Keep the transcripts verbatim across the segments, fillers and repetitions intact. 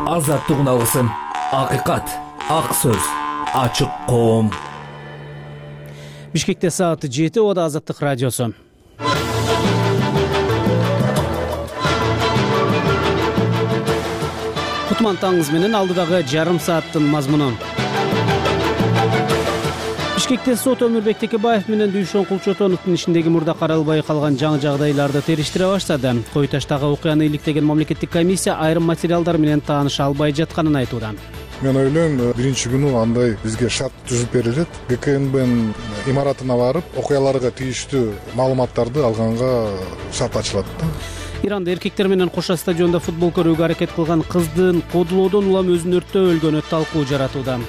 Азаттык алгысым, акыйкат, ак сөз, ачык коом. Бишкекте сааты жети, ода Азаттык радиосу. Кутман таңыңыз менен алдыдагы жарым сааттын мазмуну. Бишкекте сот Өмүрбек Текебаев менен Дүйшөн Кулчотоновдун ишиндеги мурда каралбай калган жаңы жагдайларды териштире баштады. Кой таштагы окуяны иликтеген мамлекеттик комиссия айрым материалдар менен тааныша албай жатканын айтууда. Мен ойлойм, биринчи күнү андай бизге шарт түзүп берилет. ГКНБнын имаратына барып, окуяларга тийиштүү маалыматтарды алганга шарт ачылат да. Иранда эркектер менен кошо стадиондо футбол көрүүгө аракет кылган кыздын кодулоодон улам өзүн өрттөп өлгөнү талкуу жаратууда.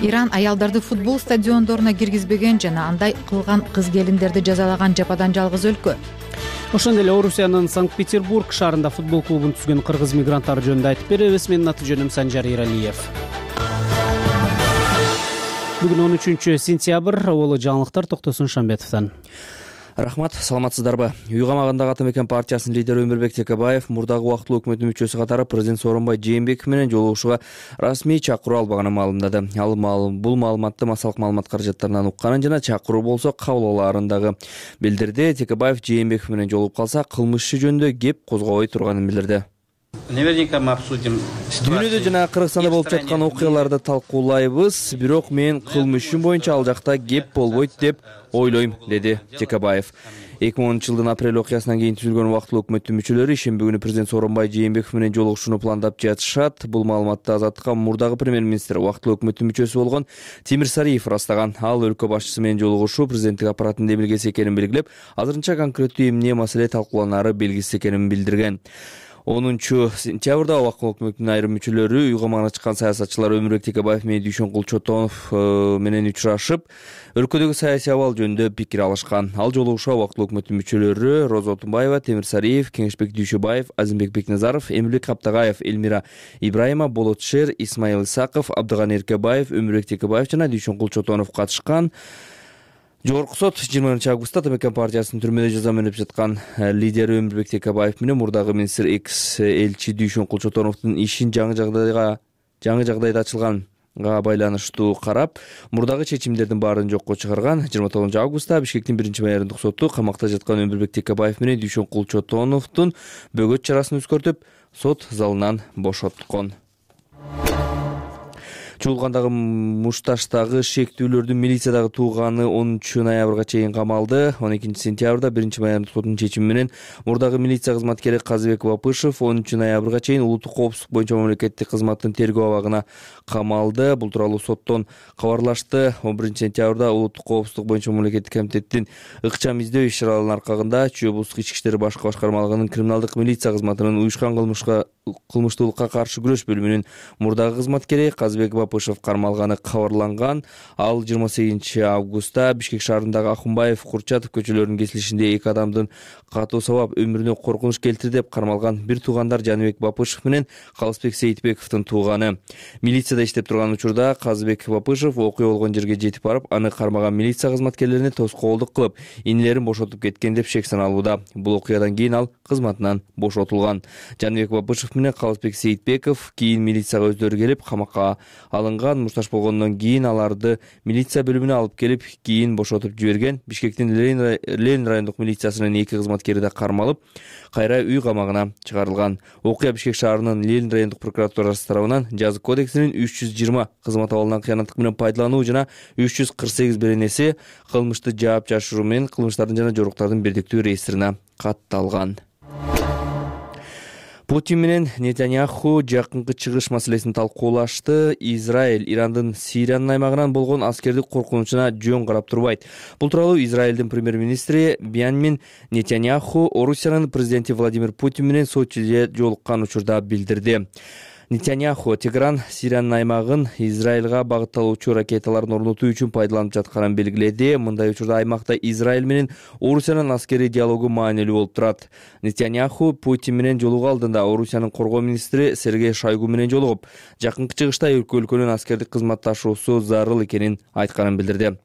Иран аялдарды футбол стадиондоруна киргизбеген жана андай кылган кыз келиндерди жазалаган жападан жалгыз өлкө. Ошондой эле Орусиянын Санкт-Петербург шаарында футбол клубун түзгөн кыргыз мигранттар жөнүндө айтып беребиз. Менин аты жөнүм Санжар Иралиев. Бүгүн он үчүнчү сентябрь, олу жаңылыктар Токтосун Шамбетовдон. Рахмат, саламатсыздарбы? Уйгамагындагы Ата Мекен партиясынын лидери Өмүрбек Текебаев мурдагы убактылуу өкмөттүн мүчөсү катары президент Сооронбай Жээнбеков менен жолугушууга расмий чакыруу албаганын маалымдады. Ал бул маалыматты массалык маалымат каражаттарынан укканын жана чакыруу болсо кабыл алаарындагы билдирди. Текебаев Жээнбеков менен жолугуп калса, кылмыш иши жөнүндө кеп козгобой турганын билдирди. Наверняка мы обсудим Дүйнөдө жана Кыргызстанда болуп жаткан окуяларды талкуулайбыз, бирок мен кылмыш иши боюнча ал жакта кеп болбойт деп ойлойм, деди Текебаев. эки миң онунчу жылдын апрель окуясынан кийин түзүлгөн убактылуу өкмөттүн мүчөлөрү ишемби күнү президент Сооронбай Жээнбеков менен жолугушууну пландап жатышат. Бул маалыматты Азаттыкка мурдагы премьер-министр, убактылуу өкмөттүн мүчөсү болгон Тимир Сариев ырастаган. Ал өлкө башчысы менен жолугушуу президенттик аппараттын демилгеси экенин белгилеп, азырынча конкреттүү эмне маселе талкууланары белгисиз экенин билдирген. онунчу сентябрда убактылуу өкмөттүн айрым мүчөлөрү уйгамагына чыккан саясатчылар Өмүрбек Текебаев менен Дүйшөн Кулчотонов менен учурашып, өлкөдөгү саясий абал жөнүндө пикир алышкан. Ал жолугушууга убактылуу өкмөттүн мүчөлөрү Роза Отунбаева, Темир Сариев, Кеңешбек Дүйшөбаев, Азимбек Бекназаров, Эмилбек Каптагаев, Элмира Ибраима, Болот Шер, Исмаил Исаков, Абдыганы Эркебаев, Өмүрбек Текебаев жана Дүйшөн Кулчотонов катышкан. Жогорку сот жыйырманчы августта Ата Мекен партиясынын түрмөдө жаза өнөп жаткан лидери Өмүрбек Текебаев менен мурдагы министр экс элчи Дүйшөн Кулчотоновдун ишин жаңы жагдайга жаңы жагдайда ачылганга байланыштуу карап, мурдагы чечимдердин баарын жокко чыгарган. жыйырма тогузунчу августта Бишкектин биринчи майордук соту камакта жаткан Өмүрбек Текебаев менен Дүйшөн Кулчотоновдун бөгөт чарасын өзгөртүп, сот залынан бошоткон. Чуулгандагы Мушташтагы шектүүлөрдүн милициядагы тууганы онунчу ноябрга чейин камалды. он экинчи сентябрда биринчи майордук соттун чечими менен мурдагы милиция кызматкери Казыбек Бапышев онунчу ноябрга чейин улуттук коопсуздук боюнча мамлекеттик кызматтын тергөө абагына камалды. Бул тууралуу соттон кабарлашты. он биринчи сентябрда улуттук коопсуздук боюнча мамлекеттик комитеттин ыкчам издөө иш-чараларынын аркагында Чүй облустук ички иштер башкы башкармалыгынын криминалдык милиция кызматынын уюшкан кылмышка кылмыштуулукка каршы күрөш бөлүмүнүн мурдагы кызматкери Казыбек Бапышев кармалганы кабарланган. Ал жыйырма сегизинчи августта Бишкек шаарындагы Ахунбаев, Курчатов көчөлөрүнүн кесилишинде эки адамдын катуу сабап өмүрүнө коркунуч келтирди деп кармалган. Бир туугандар Жаныбек Бапышев менен Калысбек Сейитбековдун тууганы. Милицияда иштеп турган учурда Казыбек Бапышев окуя болгон жерге жетип барып, аны кармаган милиция кызматкерлерине тоскоолдук кылып, инилерин бошотуп кеткен деп шек саналууда. Бул окуядан кийин ал кызматынан бошотулган. Жаныбек Бапышев менен Калысбек Сейитбеков кийин милицияга өздөрү келип камакка алынган. Мушташ болгондон кийин аларды милиция бөлүмүнө алып келип, кийин бошотуп жиберген. Бишкектин Ленин райондук милициясынын эки кызматкери да кармалып, кайра үй камагына чыгарылган. Окуя Бишкек шаарынын Ленин райондук прокуратурасы тарабынан жазык кодексинин үч жүз жыйырма кызмат абалынан кыянаттык менен пайдалануу жана үч жүз кырк сегиз беренеси кылмышты жаап жашыруу менен кылмыштардын жана жоруктардын бирдиктүү реестрине катталган. Путин менен Нетаньяху жакынкы чыгыш маселесин талкуулашты. Израиль Ирандын Сириянын аймагынан болгон аскердик коркунучуна жөн карап турбайт. Бул тууралуу Израилдин премьер-министри Биньямин Нетаньяху Орусиянын президенти Владимир Путин менен Сочиде жолуккан учурда билдирди. Нетаньяху Тегеран Сириянын аймагын Израилга багытталуучу ракеталарын орнотуу үчүн пайдаланып жатканын белгиледи. Мындай учурда аймакта Израиль менен Орусиянын аскерий диалогу маанилүү болуп турат. Нетаньяху Путин менен жолугуу алдында Орусиянын коргоо министри Сергей Шойгу менен жолугуп, жакынкы чыгышта эки өлкөнүн аскердик кызматташуусу зарыл экенин айтканын билдирди.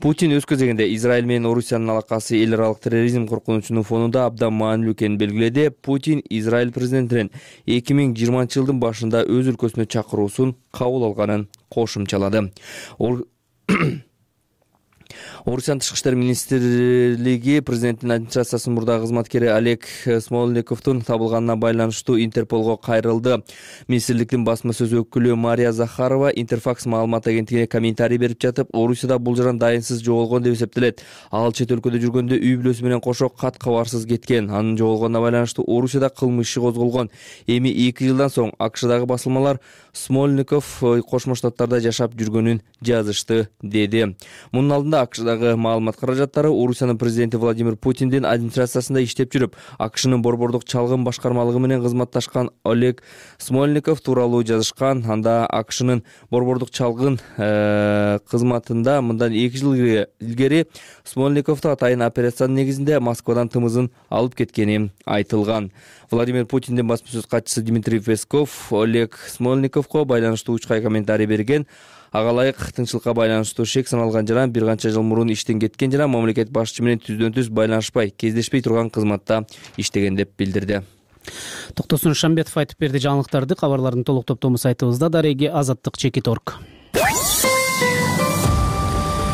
Путин өз кезегинде Израиль менен Орусиянын алакасы эл аралык терроризм коркунучунун фонунда абдан маанилүү экенин белгиледи. Путин Израиль президентинин эки миң жыйырманчы жылдын башында өз өлкөсүнө чакыруусун кабыл алганын кошумчалады. Орусиянын тышкы иштер министрлиги президенттин администрациясынын мурдагы кызматкери Олег Смольниковдун табылганына байланыштуу Интерполго кайрылды. Министрликтин басма сөз өкүлү Мария Захарова Интерфакс маалымат агенттигине комментарий берип жатып, Орусияда бул жаран дайынсыз жоголгон деп эсептелет. Ал чет өлкөдө жүргөндө үй бүлөсү менен кошо кат кабарсыз кеткен. Анын жоголгонуна байланыштуу Орусияда кылмыш иши козголгон. Эми эки жылдан соң АКШдагы басылмалар Смольников Кошмо Штаттарда жашап жүргөнүн жазышты, деди. Мунун алдында АКШдагы маалымат каражаттары Орусиянын президенти Владимир Путиндин администрациясында иштеп жүрүп, АКШнын борбордук чалгын башкармалыгы менен кызматташкан Олег Смольников тууралуу жазышкан. Анда АКШнын борбордук чалгын кызматында мындан эки жыл илгери Смольниковду атайын операциянын негизинде Москвадан тымызын алып кеткени айтылган. Владимир Путиндин басма сөз катчысы Дмитрий Песков Олег Смольниковго байланыштуу учкай комментарий берген. Ага ылайык тынччылыкка байланыштуу шек саналган жаран бир канча жыл мурун иштен кеткен жана мамлекет башчысы менен түздөн түз байланышпай, кездешпей турган кызматта иштеген деп билдирди. Токтосун Шамбетов айтып берди жаңылыктарды. Кабарлардын толук топтому сайтыбызда дареги азаттык чекит точка орг.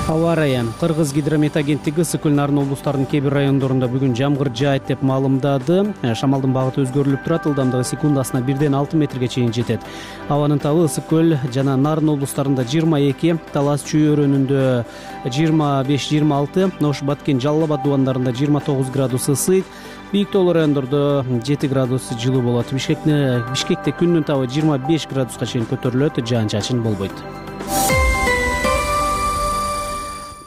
Аба ырайы. Кыргыз гидромет агенттиги ысык көл Нарын облустарынын кээ бир райондорунда бүгүн жамгыр жаайт деп маалымдады. Шамалдын багыты өзгөрүлүп турат, ылдамдыгы секундасына бирден алты метрге чейин жетет. Абанын табы ысык көл жана Нарын облустарында жыйырма эки, Талас Чүй өрөөнүндө жыйырма беш жыйырма алты, Ош Баткен Жалал Абад дубандарында жыйырма тогуз градус ысык, Бийик тоолуу райондордо жети градус жылуу болот. Бишкекте Бишкекте күндүн табы жыйырма беш градуска чейин көтөрүлөт, жаан-чачын болбойт.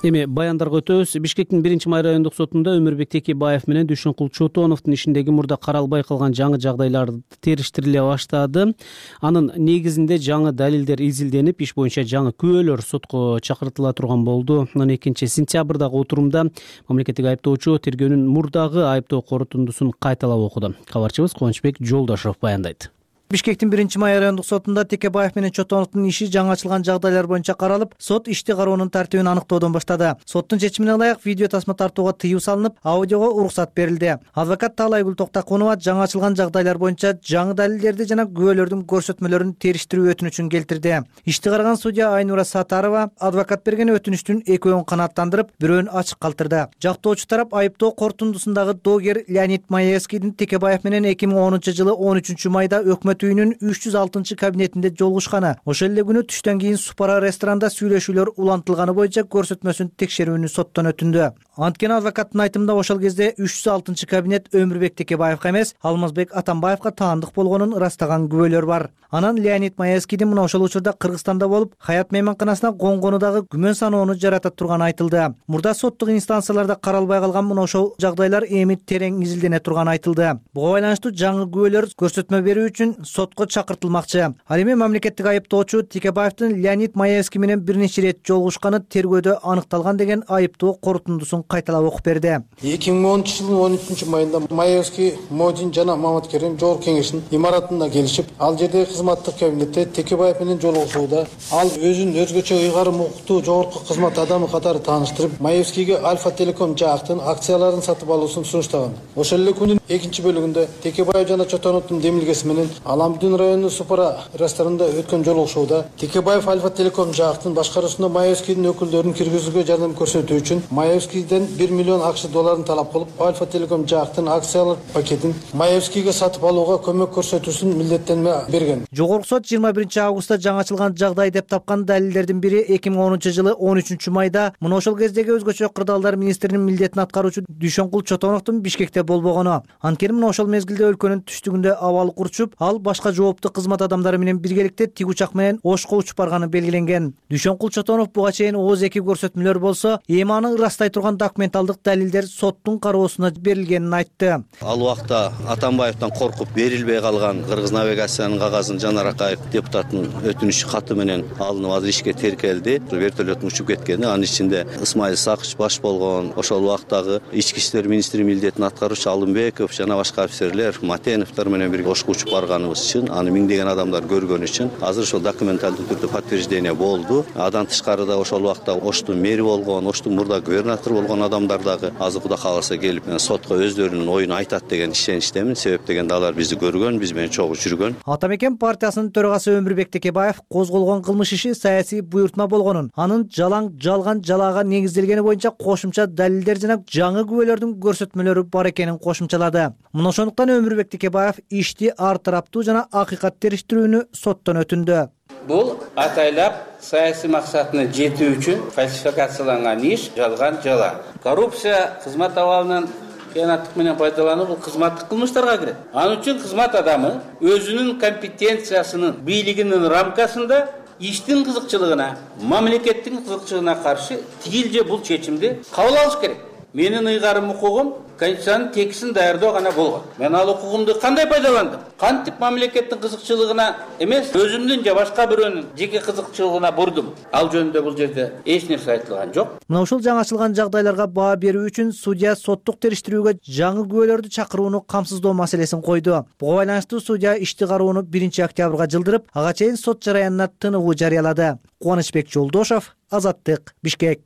Эми баяндарга өтөбүз. Бишкектин биринчи май райондук сотунда Өмүрбек Текебаев менен Дүйшөнкул Чотоновдун ишиндеги мурда каралбай калган жаңы жагдайлар териштириле баштады. Анын негизинде жаңы далилдер изилденип, иш боюнча жаңы күбөлөр сотко чакыртыла турган болду. он экинчи сентябрдагы отурумда мамлекеттик айыптоочу тергөөнүн мурдагы айыптоо корутундусун кайталап окуду. Кабарчыбыз Кубанычбек Жолдошов баяндайт. Бишкектин биринчи май райондук сотунда Текебаев менен Чотоновдун иши жаңы ачылган жагдайлар боюнча каралып, сот ишти кароонун тартибин аныктоодон баштады. Соттун чечимине ылайык видео тасма тартууга тыюу салынып, аудиого уруксат берилди. Адвокат Таалайгүл Токтакунова жаңы ачылган жагдайлар боюнча жаңы далилдерди жана күбөлөрдүн көрсөтмөлөрүн териштирүү өтүнүчүн келтирди. Ишти караган судья Айнура Сатарова адвокат берген өтүнүчтүн экөөнүн канааттандырып, бирөөнүн ачык калтырды. Жактоочу тарап айыптоо корутундусундагы доогер Леонид Маевскийдин Текебаев менен эки миң онунчу жылы он үчүнчү майда өкмөт үйүнүн үч жүз алтынчы кабинетинде жолугушканы, ошол эле күнү түштөн кийин Супара ресторанда сүйлөшүүлөр улантылганы боюнча көрсөтмөсүн текшерүүнү соттон өтүндү. Анткени адвокаттын айтымында ошол кезде үч жүз алтынчы кабинет Өмүрбек Текебаевка эмес, Алмазбек Атамбаевка таандык болгонун ырастаган күбөлөр бар. Анан Леонид Маевскийдин мына ошол учурда Кыргызстанда болуп, Хаят мейманканасына конгонудагы күмөн саноону жарата турганы айтылды. Мурда соттук инстанцияларда каралбай калган мына ошол жагдайлар эми терең изилдене турганы айтылды. Буга байланыштуу жаңы күбөлөр көрсөтмө берүү үчүн сотко чакыртылмакчы. Ал эми мамлекеттик айыптоочу Текебаевдин Леонид Маевский менен бир нече ирет жолугушканы тергөөдө аныкталган деген айыптоо корутундусун кайталап окуп берди. эки миң онунчу жылдын он үчүнчү майында Маевский, Модин жана Маматкерим жогорку кеңештин имаратына келишип, ал жердеги кызматтык кабинетте Текебаев менен жолугушууда ал өзүн өзгөчө ыйгарым укуктуу жогорку кызмат адамы катары тааныштырып, Маевскийге Альфа Телеком жаактын акцияларын сатып алуусун сунуштаган. Ошол эле күнүн экинчи бөлүгүндө Текебаев жана Чотоновдун демилгеси менен Аламдин районунун Супара ресторанында өткөн жолугушууда Текебаев Альфа Телеком жаактын башкаруусунда Маевскийдин өкүлдөрүн киргизүүгө жардам көрсөтүү үчүн Маевскийден бир миллион акш долларын талап кылып, Альфа Телеком жаактын акциялар пакетин Маевскийге сатып алууга көмөк көрсөтүүсүн милдеттенме берген. Жогорку сот жыйырма биринчи августта жаңы ачылган жагдай деп тапкан далилдердин бири эки миң онунчу жылы он үчүнчү майда мына ошол кездеги өзгөчө кырдаалдар министринин милдетин аткаруучу Дүйшөнкул Чотоновдун Бишкекте болбогону. Анткени мына ошол мезгилде өлкөнүн түштүгүндө абалык урчуп, ал башка жооптуу кызмат адамдары менен биргеликте тик учак менен Ошко учуп барганы белгиленген. Дүйшөнкул Чотонов буга чейин ооз эки көрсөтмөлөр болсо, эми аны ырастай турган документалдык далилдер соттун кароосуна берилгенин айтты. Ал убакта Атамбаевден коркуп берилбей калган Кыргыз навигациянын кагазын Жанар Акаев депутаттын өтүнүч каты менен алынып азыр ишке теркелди. Вертолеттун учуп кеткени, анын ичинде Исмаил Сакыч баш болгон, ошол убактагы ички иштер министри милдетин аткаруучу Алымбеков жана башка офицерлер Матеновдор менен бирге ошко учуп барганыбыз үчүн, аны миңдеген адамдар көргөн үчүн азыр ошол документалдуу түрдө подтверждение болду. Адан тышкарыда ошол убакта Оштун мэри болгон, Оштун мурда губернатор болгон адамдар дагы азыр Кудай кааласа келип сотко өздөрүнүн оюн айтат деген ишеничтемин. Себеп дегенде алар бизди көргөн, биз менен чогуу жүргөн. Ата мекен партиясынын төрагасы Өмүрбек Текебаев козголгон кылмыш иши саясий буйртма болгонун, анын жалаң жалган жалаага негизделгени боюнча кошумча далилдер жана жаңы күбөлөрдүн көрсөтмөлөрү бар экенин кошумчалады. Мына ошондуктан Өмүрбек Текебаев ишти ар тараптуу жана акыйкат териштирүүнү соттон өтүндү. Бул атайлап саясий максатына жетүү үчүн фальсификацияланган иш, жалган жала. Коррупция кызмат абалынын кыянаттык менен пайдалануу бул кызматтык кылмыштарга кирет. Анын үчүн кызмат адамы өзүнүн компетенциясынын, бийлигинин рамкасында иштин кызыкчылыгына, мамлекеттин кызыкчылыгына каршы тигил же бул чечимди кабыл алыш керек. Менин ыйгарым укугум Конституциянын текстин даярдоо гана болгон. Мен ал укугумду кандай пайдаландым? Кантип мамлекеттин кызыкчылыгына эмес, өзүмдүн же башка бирөөнүн жеке кызыкчылыгына бурдум? Ал жөнүндө бул жерде эч нерсе айтылган жок. Мына ушул жаңы ачылган жагдайларга баа берүү үчүн судья соттук териштирүүгө жаңы күбөлөрдү чакырууну камсыздоо маселесин койду. Буга байланыштуу судья ишти кароону биринчи октябрга жылдырып, ага чейин сот жараянына тыныгуу жарыялады. Кубанычбек Жолдошов, Азаттык, Бишкек.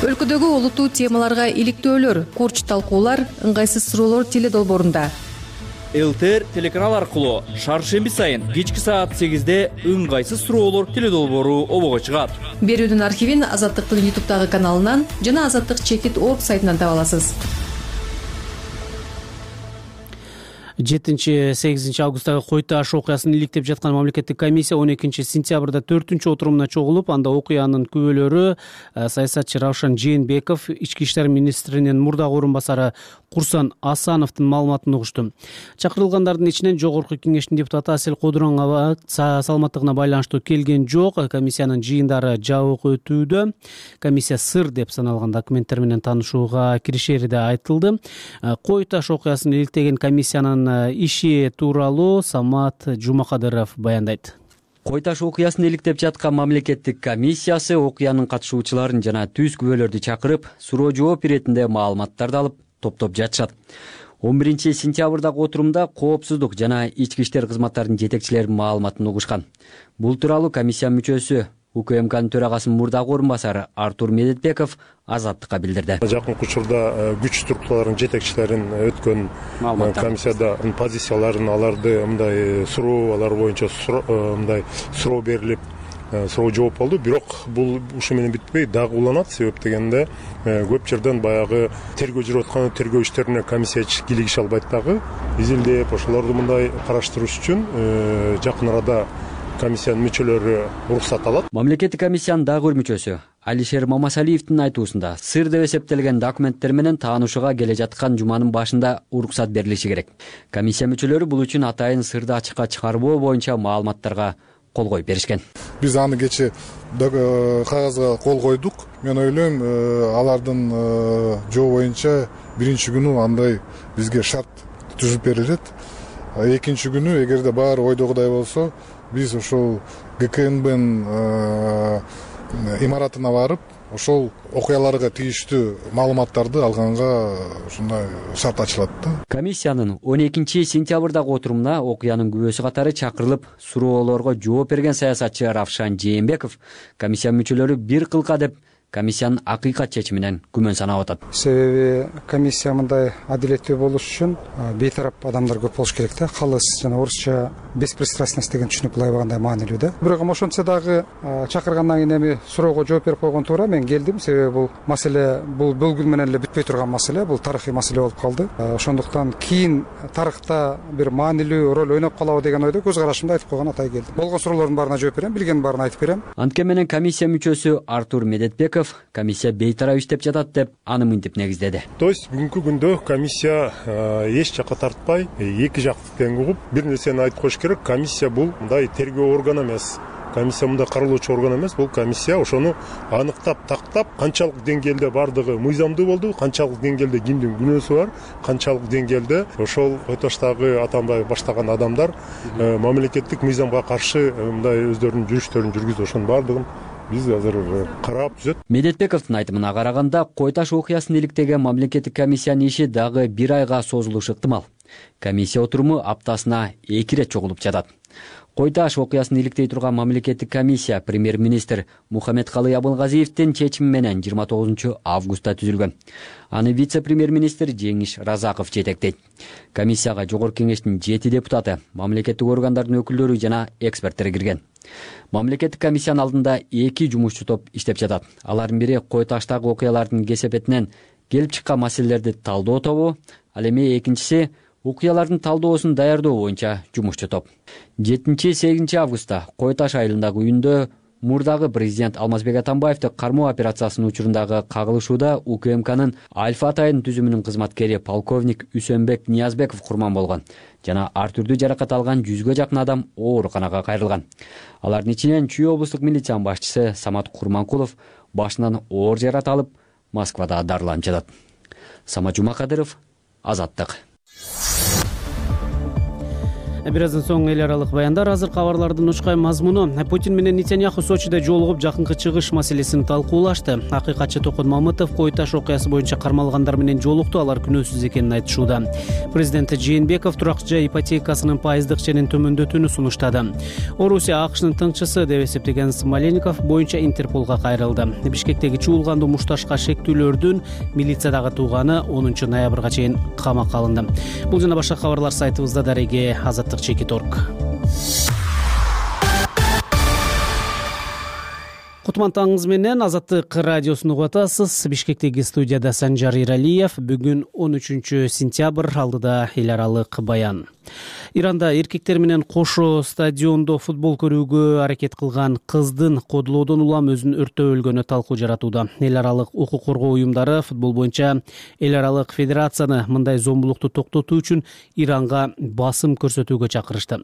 Өлкөдөгү олуттуу темаларга иликтөөлөр, курч талкуулар, ыңгайсыз суроолор теледолбоорунда. ЛТР телеканал аркылуу шаршемби сайын кечки саат сегизде ыңгайсыз суроолор теледолбоору обого чыгат. Берүүдүн архивин Азаттыктын ютубтагы каналынан жана азаттык чекит точка орг сайтынан таба аласыз. жетинчи сегизинчи августтагы Кой Таш окуясын иликтеп жаткан мамлекеттик комиссия он экинчи сентябрда төртүнчү отурумуна чогулуп, анда окуянын күбөлөрү саясатчы Равшан Жээнбеков, ички иштер министринин мурдагы орун басары Курсан Асановдун маалыматын угушту. Чакырылгандардын ичинен жогорку кеңештин депутаты Асель Кодуранова саламаттыгына байланыштуу келген жок. Комиссиянын жыйындары жабык өтүүдө. Комиссия сыр деп саналган документтер менен таанышууга киришери да айтылды. Кой Таш окуясын иликтеген комиссиянын иши тууралуу Самат Жумакадыров баяндайт. Кой Таш окуясын иликтеп жаткан мамлекеттик комиссиясы окуянын катышуучуларын жана түз күбөлөрдү чакырып, суроо жооп иретинде маалыматтарды алып топтоп жатышат. он биринчи сентябрдагы отурумда коопсуздук жана ички иштер кызматтарынын жетекчилеринин маалыматын угушкан. Бул тууралуу комиссия мүчөсү УКМКнын төрагасынын мурдагы орун басары Артур Медетбеков Азаттыкка билдирди. Жакынкы учурда күч структураларынын жетекчилерин өткөн комиссияда позицияларын, аларды мындай суроо, алар боюнча мындай суроо берилип, суроо жооп болду. Бирок бул ушу менен бүтпөй, дагы уланат. Себеп дегенде көп жерден баягы тергөө жүрүп аткан тергөө иштерине комиссия кийлигише албайт дагы. Изилдеп, ошолорду мындай караштырыш үчүн жакын арада комиссиянын мүчөлөрү уруксат алат. Мамлекеттик комиссиянын дагы бир мүчөсү Алишер Мамасалиевдин айтуусунда сыр деп эсептелген документтер менен таанышууга келе жаткан жуманын башында уруксат берилиши керек. Комиссия мүчөлөрү бул үчүн атайын сырды ачыкка чыгарбоо боюнча маалыматтарга кол коюп беришкен. Биз аны кече кагазга кол койдук. Мен ойлойм, алардын жоо боюнча биринчи күнү андай бизге шарт түзүп берилет. Экинчи күнү эгерде баары ойдогудай болсо, биз ошол ГКНБнын имаратына барып, ошол окуяларга тийиштүү маалыматтарды алганга ушундай шарт ачылат да. Комиссиянын он экинчи сентябрдагы отурумуна окуянын күбөсү катары чакырылып, суроолорго жооп берген саясатчы Равшан Жээнбеков комиссия мүчөлөрү бир кылка деп комиссиянын акыйкат чечиминен күмөн санап атат. Себеби комиссия мындай адилеттүү болуш үчүн бейтарап адамдар көп болуш керек да. Калыс жана орусча беспристрастность деген түшүнүк былай болгондой маанилүү да. Бирок ошончо дагы чакыргандан кийин эми суроого жооп берип койгон туура. Мен келдим, себеби бул маселе бул бөлгүл менен эле бүтпөй турган маселе, бул тарыхый маселе болуп калды. Ошондуктан кийин тарыхта бир маанилүү роль ойноп калабы деген ойдо көз карашымды айтып койгон атай келдим. Болгон суроолордун баарына жооп берем, билгендин баарын айтып берем. Анткен менен комиссия мүчөсү Артур Медетбеков комиссия бейтарап иштеп жатат деп аны мынтип негиздеди. То есть бүгүнкү күндө комиссия эч жакка тартпай, эки жактуу тең угуп, бир нерсени айтып коюш керек. Комиссия бул мындай тергөө органы эмес. комиссия мындай каралоочу орган эмес, бул комиссия ошону аныктап тактап, канчалык деңгээлде бардыгы мыйзамдуу болду, канчалык деңгээлде кимдин күнөөсү бар, канчалык деңгээлде ошол Кой Таштагы Атамбаев баштаган адамдар мамлекеттик мыйзамга каршы мындай өздөрүнүн жүрүштөрүн жүргүздү. Ошонун бардыгын биз азыр карап түзөт. Медетбековдун айтымына караганда, Кой Таш окуясын иликтеген мамлекеттик комиссиянын иши дагы бир айга созулушу ыктымал. Комиссия отуруму аптасына эки ирет чогулуп жатат. Кой Таш окуясын иликтей турган мамлекеттик комиссия премьер-министр Мухаммедкалый Абылгазиевдин чечими менен жыйырма тогузунчу августта түзүлгөн. Аны вице-премьер-министр Жеңиш Разаков жетектейт. Комиссияга жогорку кеңештин жети депутаты, мамлекеттик органдардын өкүлдөрү жана эксперттер кирген. Мамлекеттик комиссиянын алдында эки жумушчу топ иштеп жатат. Алардын бири Кой Таштагы окуялардын кесепетинен келип чыккан маселелерди талдоо тобу, ал эми экинчиси окуялардын талдоосун даярдоо боюнча жумушчу топ. жетинчи сегизинчи августта Кой Таш айылындагы үйүндө мурдагы президент Алмазбек Атамбаевди кармоо операциясынын учурундагы кагылышууда УКМКнын Альфа Атайын түзүмүнүн кызматкери полковник Үсөнбек Ниязбеков курман болгон жана ар түрдүү жаракат алган жүзгө жакын адам ооруканага кайрылган. Алардын ичинен Чүй облустук милициянын башчысы Самат Курманкулов башынан оор жаракат алып, Москвада дарыланып жатат. Самат Жумакадыров, Азаттык. Бир аздан соң эл аралык баяндар. Азыр кабарлардын учкай мазмуну. Путин менен Нетаньяху Сочиде жолугуп жакынкы чыгыш маселесин талкуулашты. Акыйкатчы Токон Мамытов Кой Таш окуясы боюнча кармалгандар менен жолукту, алар күнөөсүз экенин айтышууда. Президент Жээнбеков турак жай ипотекасынын пайыздык ченин төмөндөтүүнү сунуштады. Орусия АКШнын тыңчысы деп эсептеген Смоленников боюнча Интерполго кайрылды. Бишкектеги чуулгандуу мушташка шектүүлөрдүн милициядагы тууганы онунчу ноябрга чейин камакка алынды. Бул жана башка кабарлар сайтыбызда дареге азаттык чекит точка орг. Кутман таңыңыз менен Азаттык радиосун угуп атасыз. Бишкектеги студияда Санжар Иралиев. Бүгүн он үчүнчү сентябрь, алдыда эл аралык баян. Иранда эркектер менен кошо стадиондо футбол көрүүгө аракет кылган кыздын кодулоодон улам өзүн өрттөп өлгөнү талкуу жаратууда. Эл аралык укук коргоо уюмдары футбол боюнча эл аралык федерацияны мындай зомбулукту токтотуу үчүн Иранга басым көрсөтүүгө чакырышты.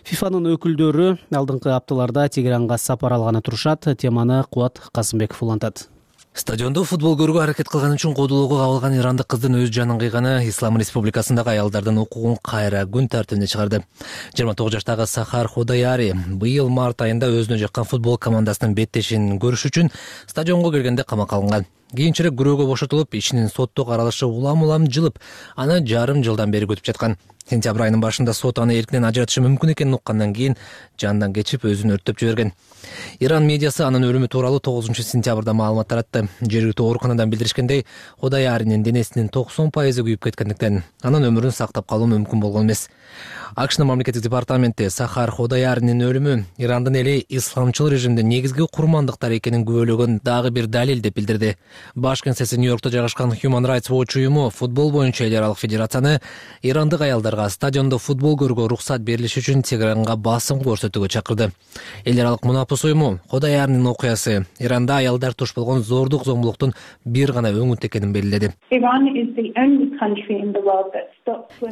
фифанын өкүлдөрү алдыңкы апталарда Тегеранга сапар алганы турушат. Теманы Кубат Касымбеков улантат. Стадиондо футбол көрүүгө аракет кылган үчүн кодулоого кабылган ирандык кыздын өз жанын кыйганы Ислам Республикасындагы аялдардын укугун кайра күн тартибине чыгарды. жыйырма тогуз жаштагы Сахар Ходаяри быйыл март айында өзүнө жаккан футбол командасынын беттешин көрүш үчүн стадионго келгенде камакка алынган. Кийинчерээк күрөөгө бошотулуп, ишинин сотто каралышы улам-улам жылып, аны жарым жылдан бери күтүп жаткан. Сентябрь айынын башында сот аны эркинен ажыратышы мүмкүн экенин уккандан кийин жандан кечип өзүн өрттөп жиберген. Иран медиасы анын өлүмү тууралуу тогузунчу сентябрда маалымат таратты. Жергиликтүү ооруканадан билдиришкендей, Ходаяринин денесинин токсон пайызы күйүп кеткендиктен анын өмүрүн сактап калуу мүмкүн болгон эмес. АКШнын мамлекеттик департаменти Сахар Ходаяринин өлүмү Ирандын эли исламчыл режимдин негизги курмандыктар экенин күбөлөгөн дагы бир далил деп билдирди. Баш кеңсеси Нью-Йоркто жайгашкан Human Rights Watch уюму футбол боюнча эл аралык федерацияны ирандык аялдарга стадиондо футбол көрүүгө уруксат берилиши үчүн Тегеранга басым көрсөтүүгө чакырды. Эл аралык мунапыс уюму Ходаяринин окуясы Иранда аялдар туш болгон зордук зомбулуктун бир гана өңүт экенин белгиледи.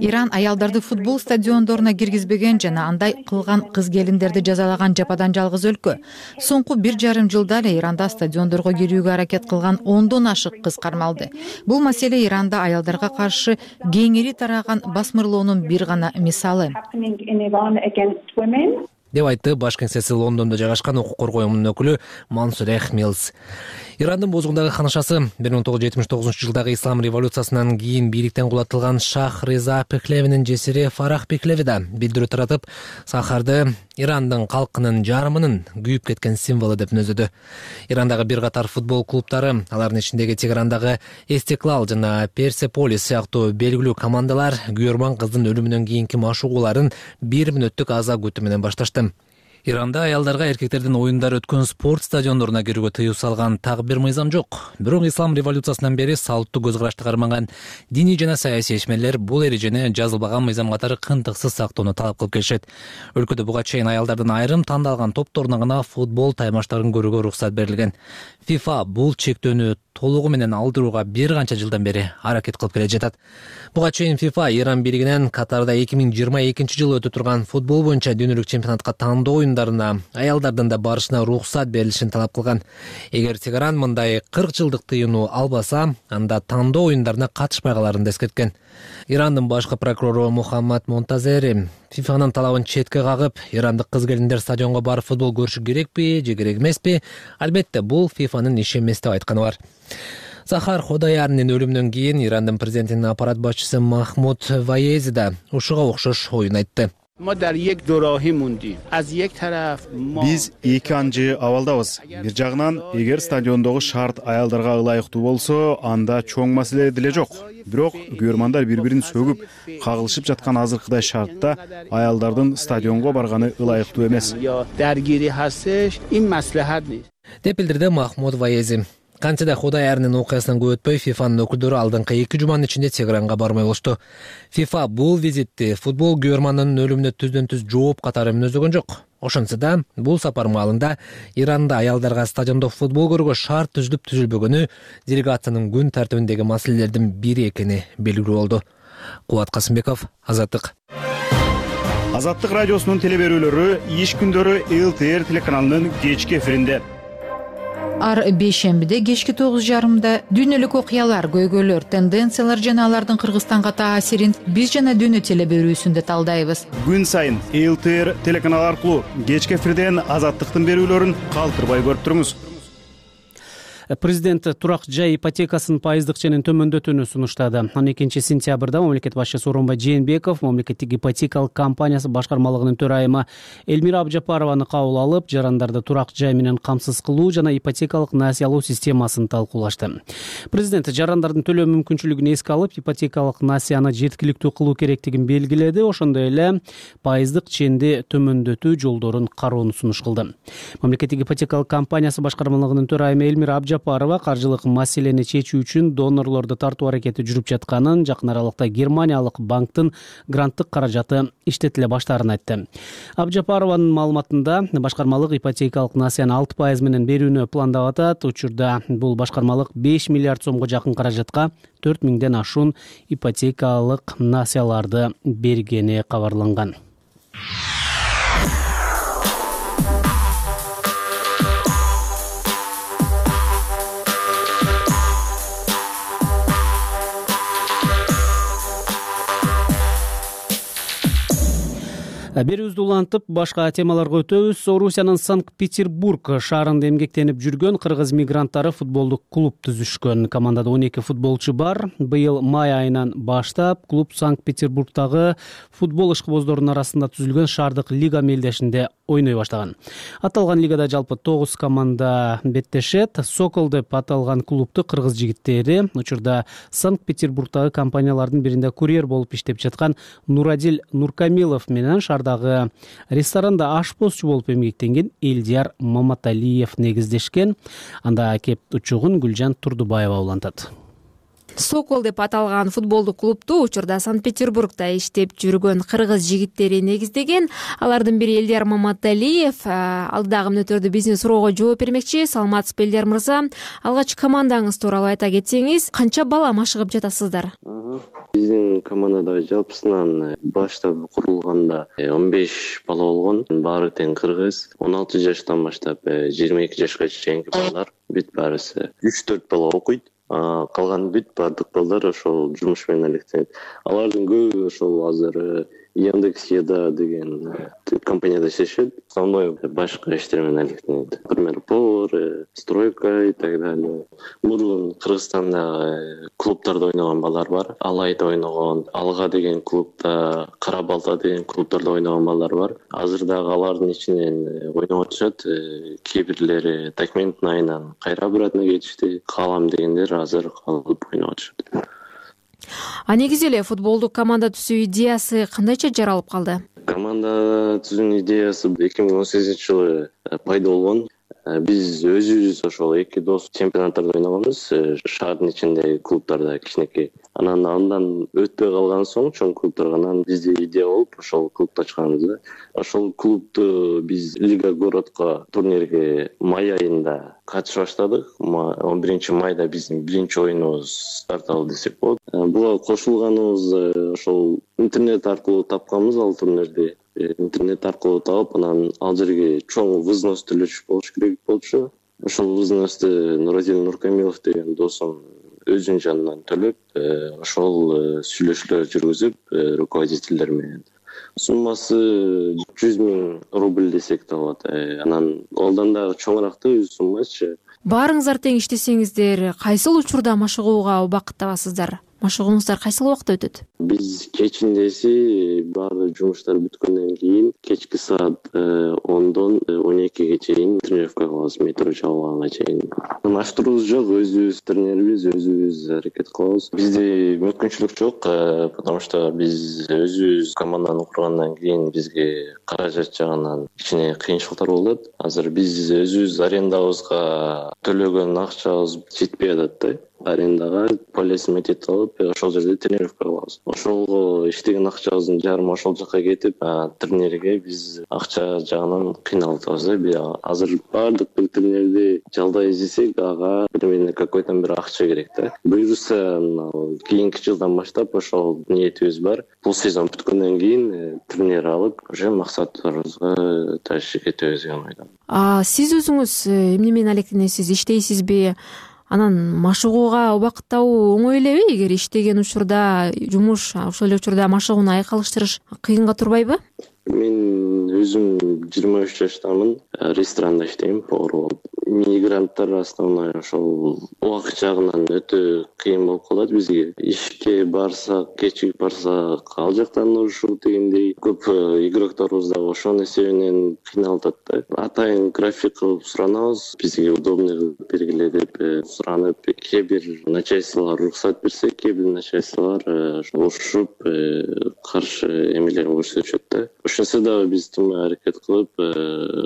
Иран аялдарды футбол стадиондоруна киргизбеген жана андай кылган кыз келиндерди жазалаган жападан жалгыз өлкө. Соңку бир жарым жылда эле Иранда стадиондорго кирүүгө аракет кылган ондон ашык кыз кармалды. Бул маселе Иранда аялдарга каршы кеңири тараган басмырлоонун бир гана мисалы деп айтты баш кеңсеси Лондондо жайгашкан укук коргоо уюмунун өкүлү Мансурех Милс. Ирандын бозгундагы ханышасы бир миң тогуз жүз жетимиш тогузунчу жылдагы ислам революциясынан кийин бийликтен кулатылган Шах Реза Пехлевинин жесири Фарах Пехлеви да билдирүү таратып, Сахарды Ирандын калкынын жарымынын күйүп кеткен символу деп мүнөздөдү. Ирандагы бир катар футбол клубтары, алардын ичиндеги Тегерандагы Эстеклал жана Персеполис сыяктуу белгилүү командалар күйөрман кыздын өлүмүнөн кийинки машыгууларын бир мүнөттүк аза күтүү менен башташты. Иранда аялдарга эркектердин оюндар өткөн спорт стадиондоруна кирүүгө тыюу салган так бир мыйзам жок. Бирок ислам революциясынан бери салттуу көз карашты кармаган диний жана саясий ишмерлер бул эрежени жазылбаган мыйзам катары кынтыксыз сактоону талап кылып келишет. Өлкөдө буга чейин аялдардын айрым тандалган топторуна гана футбол таймаштарын көрүүгө уруксат берилген. FIFA бул чектөөнү толугу менен алдырууга бир канча жылдан бери аракет кылып келе жатат. Буга чейин FIFA Иран бийлигинен Катарда эки миң жыйырма экинчи жылы өтө турган футбол боюнча дүйнөлүк чемпионатка тандоо оюндарына аялдардын да барышына уруксат берилишин талап кылган. Эгер Тегеран мындай кырк жылдык тыюуну албаса, анда тандоо оюндарына катышпай каларын эскерткен. Ирандын башкы прокурору Мухаммад Монтазери ФИФАнын талабын четке кагып, ирандык кыз-келиндер стадионго барып футбол көрүшү керекпи же керек эмеспи? Албетте, бул ФИФАнын иши эмес деп айтканы бар. Захар Ходаярнын өлүмүнөн кийин Ирандын президентинин аппарат башчысы Махмуд Ваези да ушуга окшош оюн айтты. Биз эки анжы абалдабыз. Бир жагынан, эгер стадиондогу шарт аялдарга ылайыктуу болсо, анда чоң маселе деле жок. Бирок көрөрмандар бири-бирин сөгүп, кагылышып жаткан азыркыдай шартта аялдардын стадионго барганы ылайыктуу эмес. Деп билдирди Махмуд Ваези. Кантсе да Ходаярнын окуясынан көп өтпөй ФИФАнын өкүлдөрү алдыңкы эки жуманын ичинде Тегеранга бармай болушту. ФИФА бул визитти футбол көрөрманынын өлүмүнө түздөн-түз жооп катары мүнөздөгөн жок. Ошентсе да, бул сапар маалында Иранда аялдарга стадиондо футбол көрүүгө шарт түзүлүп түзүлбөгөнү делегациянын күн тартибиндеги маселелердин бири экени белгилүү болду. Кубат Касымбеков, Азаттык. Азаттык радиосунун телеберүүлөрү иш күндөрү эл ти эр телеканалынын кечки эфиринде. Ар бейшембиде кечки тогуз жарымда дүйнөлүк окуялар, көйгөйлөр, тенденциялар жана алардын Кыргызстанга таасирин биз жана дүйнө телеберүүсүндө талдайбыз. Күн сайын эл ти эр телеканалы аркылуу кечки эфирден Азаттыктын берүүлөрүн калтырбай көрүп туруңуз. Президент турак жай ипотекасын пайыздык ченин төмөндөтүүнү сунуштады. он экинчи сентябрда мамлекет башчысы Сооронбай Жээнбеков мамлекеттик ипотекалык компаниясы башкармалыгынын төрайымы Элмира Абжапарованы кабыл алып, жарандарды турак жай менен камсыз кылуу жана ипотекалык насыя алуу системасын талкуулашты. Президент жарандардын төлөө мүмкүнчүлүгүн эске алып, ипотекалык насыяны жеткиликтүү кылуу керектигин белгиледи. Ошондой эле пайыздык ченди төмөндөтүү жолдорун кароону сунуш кылды. Мамлекеттик ипотекалык компаниясы башкармалыгынын төрайымы Элмира Абжапарова Парова каржылык маселени чечүү үчүн донорлорду тартуу аракети жүрүп жатканын, жакын аралыкта Германиялык банктын гранттык каражаты иштетиле баштаарын айтты. Абжапарованын маалыматында башкармалык ипотекалык насыяны алты пайыз менен берүүнү пландап атат. Учурда бул башкармалык беш миллиард сомго жакын каражатка төрт миңден ашуун ипотекалык насыяларды бергени кабарланган. Берүүбүздү улантып, башка темаларга өтөбүз. Орусиянын Санкт-Петербург шаарында эмгектенип жүргөн кыргыз мигранттары футболдук клуб түзүшкөн. Командада он эки футболчу бар. Быйыл май айынан баштап клуб Санкт-Петербургдагы футбол ишкыбоздорунун арасында түзүлгөн шаардык лига мелдешинде ойной баштаган. Аталган лигада жалпы тогуз команда беттешет. Сокол деп аталган клубту кыргыз жигиттери учурда Санкт-Петербургдагы компаниялардын биринде курьер болуп иштеп жаткан Нурадил Нуркамилов менен шаардагы ресторанда ашпозчу болуп эмгектенген Элдияр Маматалиев негиздешкен. Анда кеп учугун Гүлжан Турдубаева улантат. Сокол деп аталган футболдук клубту учурда Санкт-Петербургда иштеп жүргөн кыргыз жигиттери негиздеген. Алардын бири Элдияр Маматалиев. Алдыдагы мүнөттөрдө биздин суроого жооп бермекчи. Саламатсызбы Элдияр мырза? Алгач командаңыз тууралуу айта кетсеңиз, канча бала машыгып жатасыздар? Биздин командада жалпысынан баштап курулганда он беш бала болгон. Баары тең кыргыз. он алты жаштан баштап жыйырма эки жашка чейинки балдар. Бүт баарысы үч төрт бала окуйт. Калган бүт баардык балдар ошол жумуш менен алектенет. Алардын көбү ошол азыр Яндекс Еда деген компанияда иштешет. Основной башка иштер менен алектенет. Например, повар, стройка и так далее. Мурун Кыргызстанда клубтарда ойногон балдар бар. Алайда ойногон, Алга деген клубда, Кара Балта деген клубтарда ойногон балдар бар. Азыр дагы алардын ичинен ойноп атышат. Кээ бирлери Такмендин айынан кайра обратно кетишти. Калам дегендер азыр калып ойноп атышат. А негизи эле футболдук команда түзүү идеясы кандайча жаралып калды? Команда түзүүнүн идеясы эки миң он сегизинчи жылы пайда болгон. Биз өзүбүз ошол эки дос чемпионаттарда ойногонбуз, шаардын ичиндеги клубтарда кичинекей. Анан андан өтпөй калган соң чоң клубтарга анан бизде идея болуп ошол клубду ачканбыз да. Ошол клубду биз Лига городко турнирге май айында катышып баштадык. он биринчи майда биздин биринчи оюнубуз старт алды десек болот. Буга кошулганыбыз ошол интернет аркылуу тапканбыз ал турнирди. Интернет аркылуу таап, анан ал жерге чоң взнос төлөшүп болуш керек болчу. Ошол взносту Нуразил Нуркамилов деген досум өзүнүн жанынан төлөп, ошол сүйлөшүүлөр жүргүзүп, руководителдер менен. Суммасы жүз миң рубль десек да болот. Анан алдан дагы чоңураактуу суммачы. Баарыңыздар тең иштесеңиздер, кайсыл учурда машыгууга убакыттабасыздар? Машыгууңуздар кайсыл убакытта өтөт? Биз кечиндеси баардык жумуштар бүткөндөн кийин кечки саат ондон он экиге чейин тренировка кылабыз, метро жабылганга чейин. Маштырууубуз жок, өзүбүз тренербиз, өзүбүз аракет кылабыз. Бизде мүмкүнчүлүк жок, потому что биз өзүбүз команданы кургандан кийин бизге каражат жагынан кичине кыйынчылыктар болот. Азыр биз өзүбүз арендабызга төлөгөн акчабыз жетпей атат да. Арендага полисин метет алып, ошол жерде тренировка кылабыз. Ошолго иштеген акчабыздын жарымы ошол жака кетип, тренерге биз акча жагынан кыйналып атабыз да. Азыр баардык бир тренерди жалдай издесек, ага примерно какой-то бир акча керек да. Буюрса, кийинки жылдан баштап ошол ниетибиз бар. Бул сезон бүткөндөн кийин тренер алып, уже максатыбызга ташып кетебиз деген ойдомун. А сиз өзүңүз эмне менен алектенесиз, иштейсизби? Анан машыгууга убакыттабуу оңой элеби? Эгер иштеген учурда жумуш, ошол эле учурда машыгууну айкалыштырыш кыйынга турбайбы? Мен өзүм жыйырма үч жаштамын, ресторанда иштейм, повар болуп. Мигранттар основной ошол убакыт жагынан өтө кыйын болуп калат бизге. Ишке барсак, кечигип барсак, ал жактан ушул дегендей көп игрокторубуз дагы ошонун эсебинен кыйналып атат да. Атайын график кылып суранабыз, бизге удобный кылып бергиле деп суранып, кээ бир начальстволор уруксат берсе, кээ бир начальстволор ушуп каршы эмелер көрсөтүшөт да. Ошонсо дагы биз тынбай аракет кылып,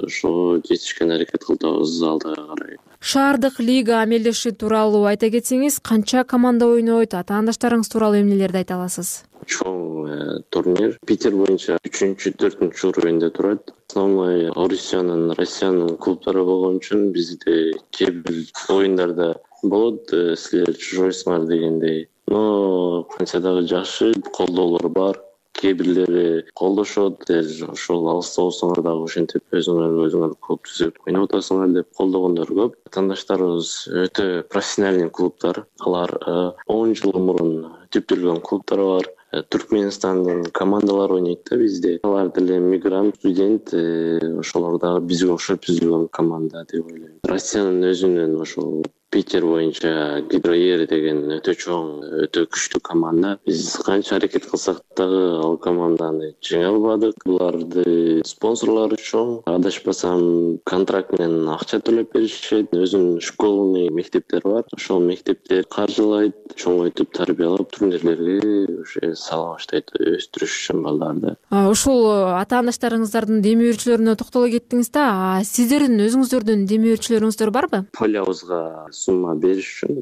ошого жетишкен аракет кылабыз алдыга карай. Шаардык лига амелдеши тууралуу айта кетсеңиз, канча команда ойнойт, атаандаштарыңыз тууралуу эмнелерди айта аласыз? Чоң турнир Питер боюнча үчүнчү, төртүнчү уровеньде турат. Основной Орусиянын, Россиянын клубдары болгон үчүн бизде кээ бир оюндарда болот, силер чужойсуңар дегендей. Но кантсе дагы жакшы колдоолор бар. Кээ бирлери колдошот, ошол алыста болсоңор дагы ошентип өзүңөр өзүңөр клуб түзүп ойноп атасыңар деп колдогондор көп. Атаандаштарыбыз өтө профессиональный клубдар. Алар он жыл мурун түптөлгөн клубдар бар. Түркменстандын командалары ойнойт да бизде. Алар деле мигрант, студент, ошолор дагы бизге окшоп түзүлгөн команда деп ойлойм. Россиянын өзүнүн ошол Питер боюнча Гидроер деген өтө чоң, өтө күчтүү команда. Биз канча аракет кылсак дагы ал команданы жеңе албадык. Буларды спонсорлору чоң. Адашпасам, контракт менен акча төлөп беришет. Өзүнүн школный мектептери бар. Ошол мектептер каржылайт, чоңойтуп, тарбиялап, турнирлерге уже сала баштайт, өстүрүш үчүн балдарды. Ушул атаандаштарыңыздардын демөөрчүлөрүнө токтоло кеттиңиз да. Сиздердин өзүңүздөрдүн демөөрчүлөрүңүздөр барбы? Полябызга сумма бериш үчүн,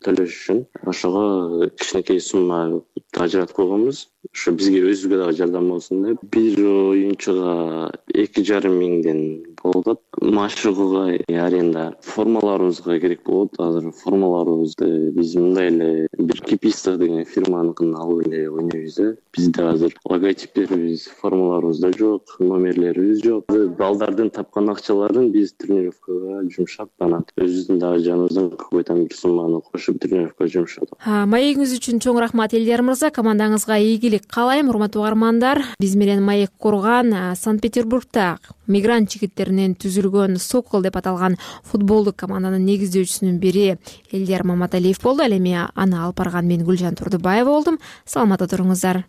төлөш үчүн ошого кичинекей сумма ажыратып койгонбуз. Ошо бизге өзүбүзгө дагы жардам болсун деп. Бир оюнчуга эки жарым миңден болот. Машыгууга аренда формаларыбызга керек болот. Азыр формаларыбызды биз мындай эле бир Кипистов деген фирманыкын алып эле ойнойбуз да. Бизде азыр логотиптерибиз, формаларыбызда жок, номерлерибиз жок. Балдардын тапкан акчаларын биз тренировкага жумшап, анан өзүбүздүн дагы жаныбыздан какой-то бир сумманы кошуп тренировкага жумшадык. Маегиңиз үчүн чоң рахмат Элдияр мырза. Командаңызга ийгилик каалайм, урматтуу угармандар. Биз менен маек курган Санкт-Петербургда мигрант жигиттеринен түзүлгөн Сокол деп аталган футболдук команданын негиздөөчүсүнүн бири Элдияр Маматалиев болду. Ал эми аны алып барган мен Гүлжан Турдубаева болдум. Саламатта туруңуздар.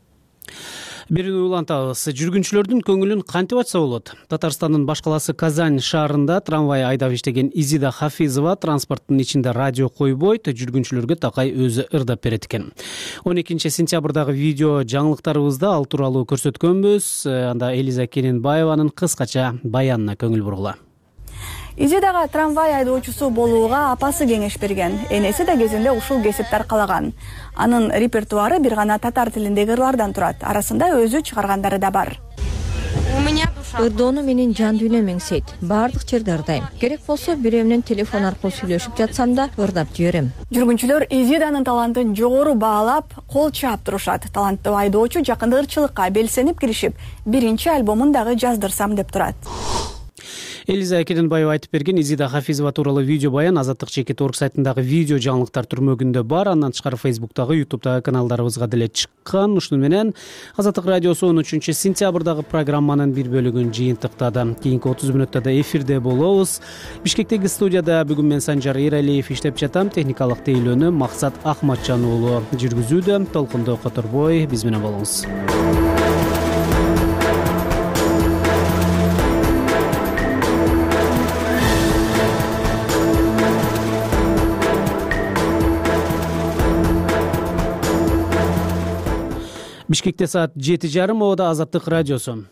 Бирин улантабыз. Жүргүнчүлөрдүн көңүлүн кантип ачса болот? Татарстандын баш калаасы Казань шаарында трамвай айдап иштеген Изида Хафизова транспорттун ичинде радио койбойт, жүргүнчүлөргө такай өзү ырдап берет экен. он экинчи сентябрдагы видео жаңылыктарыбызда ал тууралуу көрсөткөнбүз. Анда Элиза Кененбаеванын кыскача баянына көңүл бургула. Изидага трамвай айдоочусу болууга апасы кеңеш берген. Энеси да кезинде ушул кесипти аркалаган. Анын репертуары бир гана татар тилиндеги ырлардан турат. Арасында өзү чыгаргандары да бар. Ырдоону менин жан дүйнөм эңсейт. Баардык жерде ырдайм. Керек болсо бирөө менен телефон аркылуу сүйлөшүп жатсам да ырдап жиберем. Жүргүнчүлөр Изиданын талантын жогору баалап, кол чаап турушат. Таланттуу айдоочу жакында ырчылыкка белсенип киришип, биринчи альбомун дагы жаздырсам деп турат. Элиза Керенбаева айтып берген Изида Хафизова тууралуу видео баян Азаттык чекит орг сайтындагы видео жаңылыктар түрмөгүндө бар. Андан тышкары Facebook'тагы, YouTube'дагы каналдарыбызга деле чыккан. Ушуну менен Азаттык радиосу он үчүнчү сентябрдагы программанын бир бөлүгүн жыйынтыктады. Кийинки отуз мүнөттө да эфирде болобуз. Бишкектеги студияда бүгүн мен Санжар Эралиев иштеп жатам. Техникалык тейлөөнү Максат Акматжан уулу жүргүзүүдө. Толкундо которбой биз менен болуңуз. Бишкекте саат жети жарым, Обода Азаттык радиосу.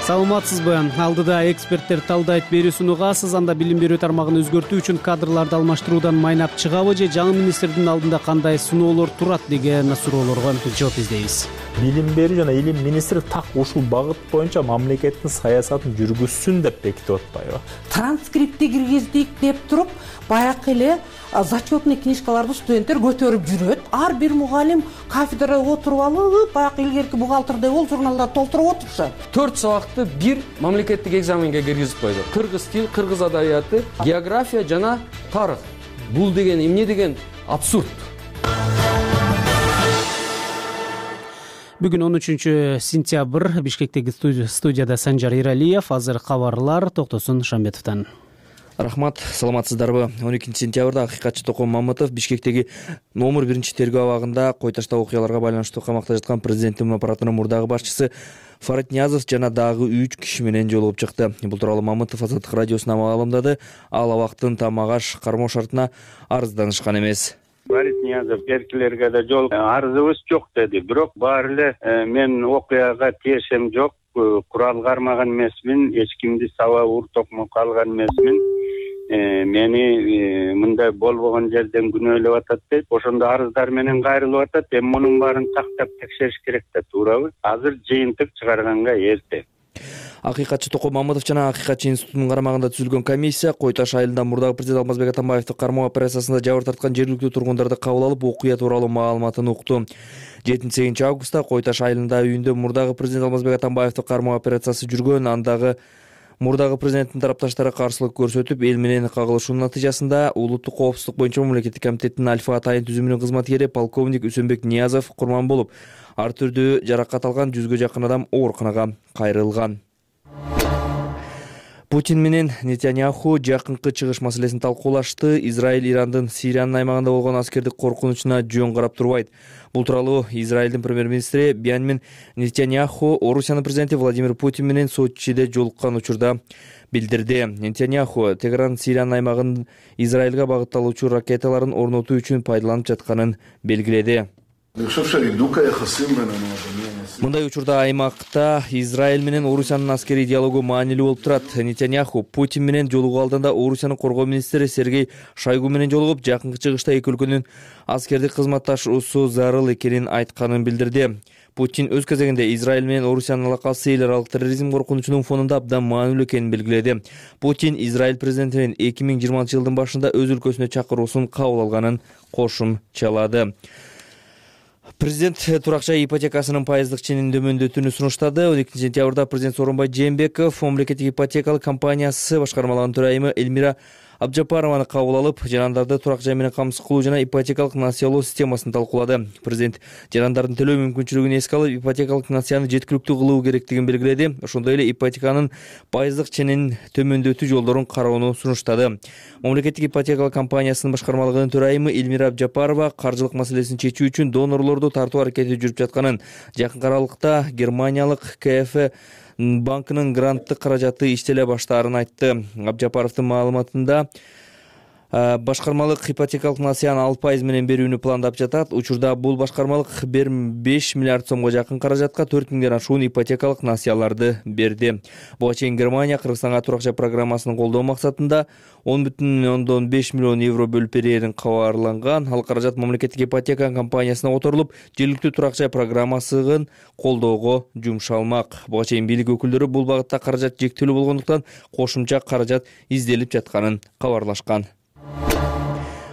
Саламатсызбы? Алдыда эксперттер талдайт берүүсүн угасыз. Анда билим берүү тармагын өзгөртүү үчүн кадрларды алмаштыруудан майнап чыгабы же жаңы министрдин алдында кандай сыноолор турат деген суроолорго жооп издейбиз. Билим берүү жана илим министри так ушул багыт боюнча мамлекеттин саясатын жүргүзсүн деп бекитип атпайбы? Транскрипти киргиздик деп туруп, баягы эле зачетный книжкаларды студенттер көтөрүп жүрөт. Ар бир мугалим кафедрада отуруп алып, баягы илгерки бухгалтердей бол журналдарды толтуруп отурушат. Төрт сабакты бир мамлекеттик экзаменге киргизип койду. Кыргыз тил, кыргыз адабияты, география жана тарых. Бул деген эмне деген абсурд. Бүгүн он үчүнчү сентябрь, Бишкектеги студияда Санжар Эралиев, азыр кабарлар Токтосун Шамбетовдон. Рахмат, саламатсыздарбы? он экинчи сентябрда акыйкатчы Токон Мамытов Бишкектеги номер биринчи тергөө абагында кой таштоо окуяларга байланыштуу камакта жаткан президенттин аппаратынын мурдагы башчысы Фарид Ниязов жана дагы үч киши менен жолугуп чыкты. Бул тууралуу Мамытов Азаттык радиосуна маалымдады. Ал абактын Тамагаш кармоо шартына арызданышкан эмес. Фарид Ниязов эркилерге да жол арызыбыз жок деди. Бирок баары эле мен окуяга тиешем жок, курал кармаган эмесмин, эч кимди саба ур токмокко алган эмесмин. Мени мындай болбогон жерден күнөөлөп атат дейт. Ошондо арыздар менен кайрылып атат. Эми мунун баарын тактап текшериш керек да, туурабы? Азыр жыйынтык чыгарганга эрте. Акыйкатчы Токон Мамытов жана Акыйкатчы институтунун карамагында түзүлгөн комиссия Кой Таш айылында мурдагы президент Алмазбек Атамбаевди кармоо операциясында жабыр тарткан жергиликтүү тургундарды кабыл алып, окуя тууралуу маалыматын укту. жетинчи сегизинчи августта Кой Таш айылында үйүндө мурдагы президент Алмазбек Атамбаевди кармоо операциясы жүргөн. Андагы мурдагы президенттин тарапташтары каршылык көрсөтүп, эл менен кагылышуунун натыйжасында улуттук коопсуздук боюнча мамлекеттик комитеттин Альфа Атайын түзүмүнүн кызматкери полковник Үсөнбек Ниязов курман болуп, ар түрдүү жаракат алган жүзгө жакын адам ооруканага кайрылган. Путин менен Нетаньяху жакынкы чыгыш маселесин талкуулашты. Израиль Ирандын Сириянын аймагында болгон аскердик коркунучуна жөн карап турбайт. Бул тууралуу Израилдин премьер-министри Беньямин Нетаньяху Орусиянын президенти Владимир Путин менен Сочиде жолуккан учурда билдирди. Нетаньяху Тегеран Сириянын аймагын Израилга багытталуучу ракеталарын орнотуу үчүн пайдаланып жатканын белгиледи. Мындай учурда аймакта Израиль менен Орусиянын аскерий диалогу маанилүү болуп турат. Нетаньяху Путин менен жолугуу алдында Орусиянын коргоо министри Сергей Шойгу менен жолугуп, жакынкы чыгышта эки өлкөнүн аскердик кызматташуусу зарыл экенин айтканын билдирди. Путин өз кезегинде Израиль менен Орусиянын алакасы эл аралык терроризм коркунучунун фонунда абдан маанилүү экенин белгиледи. Путин Израиль президентинин эки миң жыйырманчы жылдын башында өз өлкөсүнө чакыруусун кабыл алганын кошумчалады. Президент турак жай ипотекасынын пайыздык ченин дөмөндөтүүнү сунуштады. он экинчи сентябрда президент Сооронбай Жээнбеков мамлекеттик ипотекалык компаниясы башкармалыгынын төрайымы Элмира Абджапарованы кабыл алып, жарандарды турак жай менен камсыз кылуу жана ипотекалык насыялоо системасын талкуулады. Президент жарандардын төлөө мүмкүнчүлүгүн эске алып, ипотекалык насыяны жеткиликтүү кылуу керектигин белгиледи. Ошондой эле ипотеканын пайыздык ченин төмөндөтүү жолдорун кароону сунуштады. Мамлекеттик ипотекалык компаниясынын башкармалыгынын төрайымы Элмира Абджапарова каржылык маселесин чечүү үчүн донорлорду тартуу аракети жүрүп жатканын, жакын аралыкта Германиялык КФ банкынын гранттык каражаты иштеле баштаарын айтты. Абджапаровдун маалыматында башкармалык ипотекалык насыяны алты пайыз менен берүүнү пландап жатат. Учурда бул башкармалык беш миллиард сомго жакын каражатка төрт миңден ашуун ипотекалык насыяларды берди. Буга чейин Германия Кыргызстанга турак жай программасын колдоо максатында он бүтүн ондон беш миллион евро бөлүп берерин кабарланган. Ал каражат мамлекеттик ипотека компаниясына которулуп, жергиликтүү турак жай программасын колдоого жумшалмак. Буга чейин бийлик өкүлдөрү бул багытта каражат жектелүү болгондуктан кошумча каражат изделип жатканын кабарлашкан.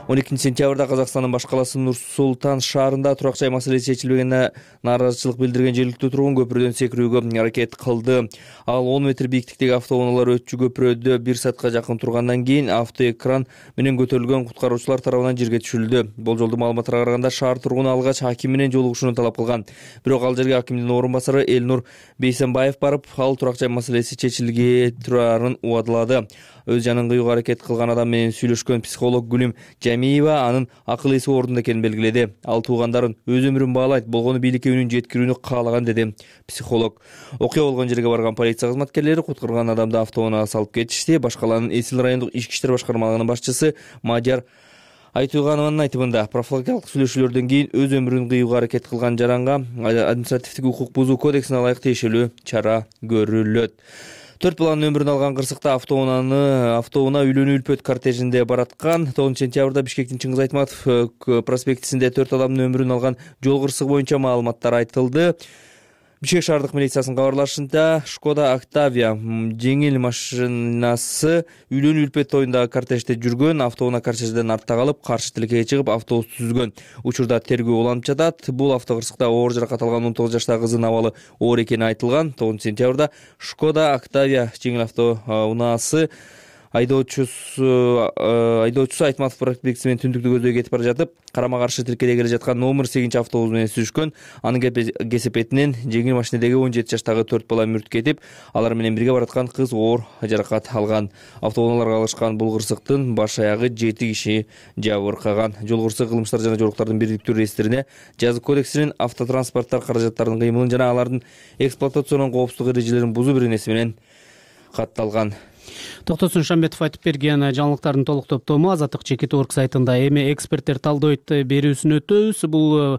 он экинчи сентябрда Казакстандын баш калаасы Нур-Султан шаарында турак жай маселеси чечилбегенине нааразычылык билдирген жергиликтүү тургун көпүрөдөн секирүүгө аракет кылды. Ал он метр бийиктиктеги автоунаалар өтчү көпүрөдө бир саатка жакын тургандан кийин автоэкран менен көтөрүлгөн куткаруучулар тарабынан жерге түшүрүлдү. Болжолдуу маалыматтарга караганда шаар тургуну алгач аким менен жолугушууну талап кылган. Бирок ал жерге акимдин орун басары Элнур Бейсенбаев барып, ал турак жай маселеси чечилге турарын убадылады. Өз жанын кыюуга аракет кылган адам менен сүйлөшкөн психолог Гүлүм Жамиева анын акыл эси ордунда экенин белгиледи. Ал туугандарын өз өмүрүн баалайт, болгону бийликке үнүн жеткирүүнү каалаган деди психолог. Окуя болгон жерге барган полиция кызматкерлери куткарган адамды автоунаага салып кетишти. Баш каланын Эсил райондук ички иштер башкармалыгынын башчысы Мадияр Айтуганованын айтымында, профилактикалык сүйлөшүүлөрдөн кийин өз өмүрүн кыюуга аракет кылган жаранга административдик укук бузуу кодексине ылайык тиешелүү чара көрүлөт. Төрт баланын өмүрүн алган кырсыкта автоунаны автоунаа үйлөнүү үлпөт кортежинде бараткан. тогузунчу сентябрда Бишкектин Чыңгыз Айтматов проспектисинде төрт адамдын өмүрүн алган жол кырсыгы боюнча маалыматтар айтылды. Бишкек шаардык милициясынын кабарлашында Шкода Октавия жеңил машинасы үйлөнүү үлпөт тоюндагы кортежде жүргөн, автоунаа кортежден артта калып, каршы тилекке чыгып, автобусту түзгөн. Учурда тергөө уланып жатат. Бул автокырсыкта оор жаракат алган он тогуз жаштагы кыздын абалы оор экени айтылган. тогузунчу сентябрда Шкода Октавия жеңил автоунаасы айдоочусу айдоочусу Айтматов проспектиси менен түндүктү көздөй кетип бара жатып, карама каршы тилкеде келе жаткан номер сегизинчи автобус менен сүзүшкөн. Анын кесепетинен жеңил машинедеги он жети жаштагы төрт бала мүрт кетип, алар менен бирге бараткан кыз оор жаракат алган. Автоунааларга алышкан бул кырсыктын баш аягы жети киши жабыркаган. Жол кырсыгы кылмыштар жана жоруктардын бирдиктүү реестрине жазык кодексинин автотранспорттар каражаттарынын кыймылын жана алардын эксплуатационун коопсуздук эрежелерин бузуу беренеси менен катталган. Токтосун Шамбетов айтып берген жаңылыктардын толук топтому Азаттык Чекит орг сайтында. Эми эксперттер талдойт берүүсүн өтөбүз. Бул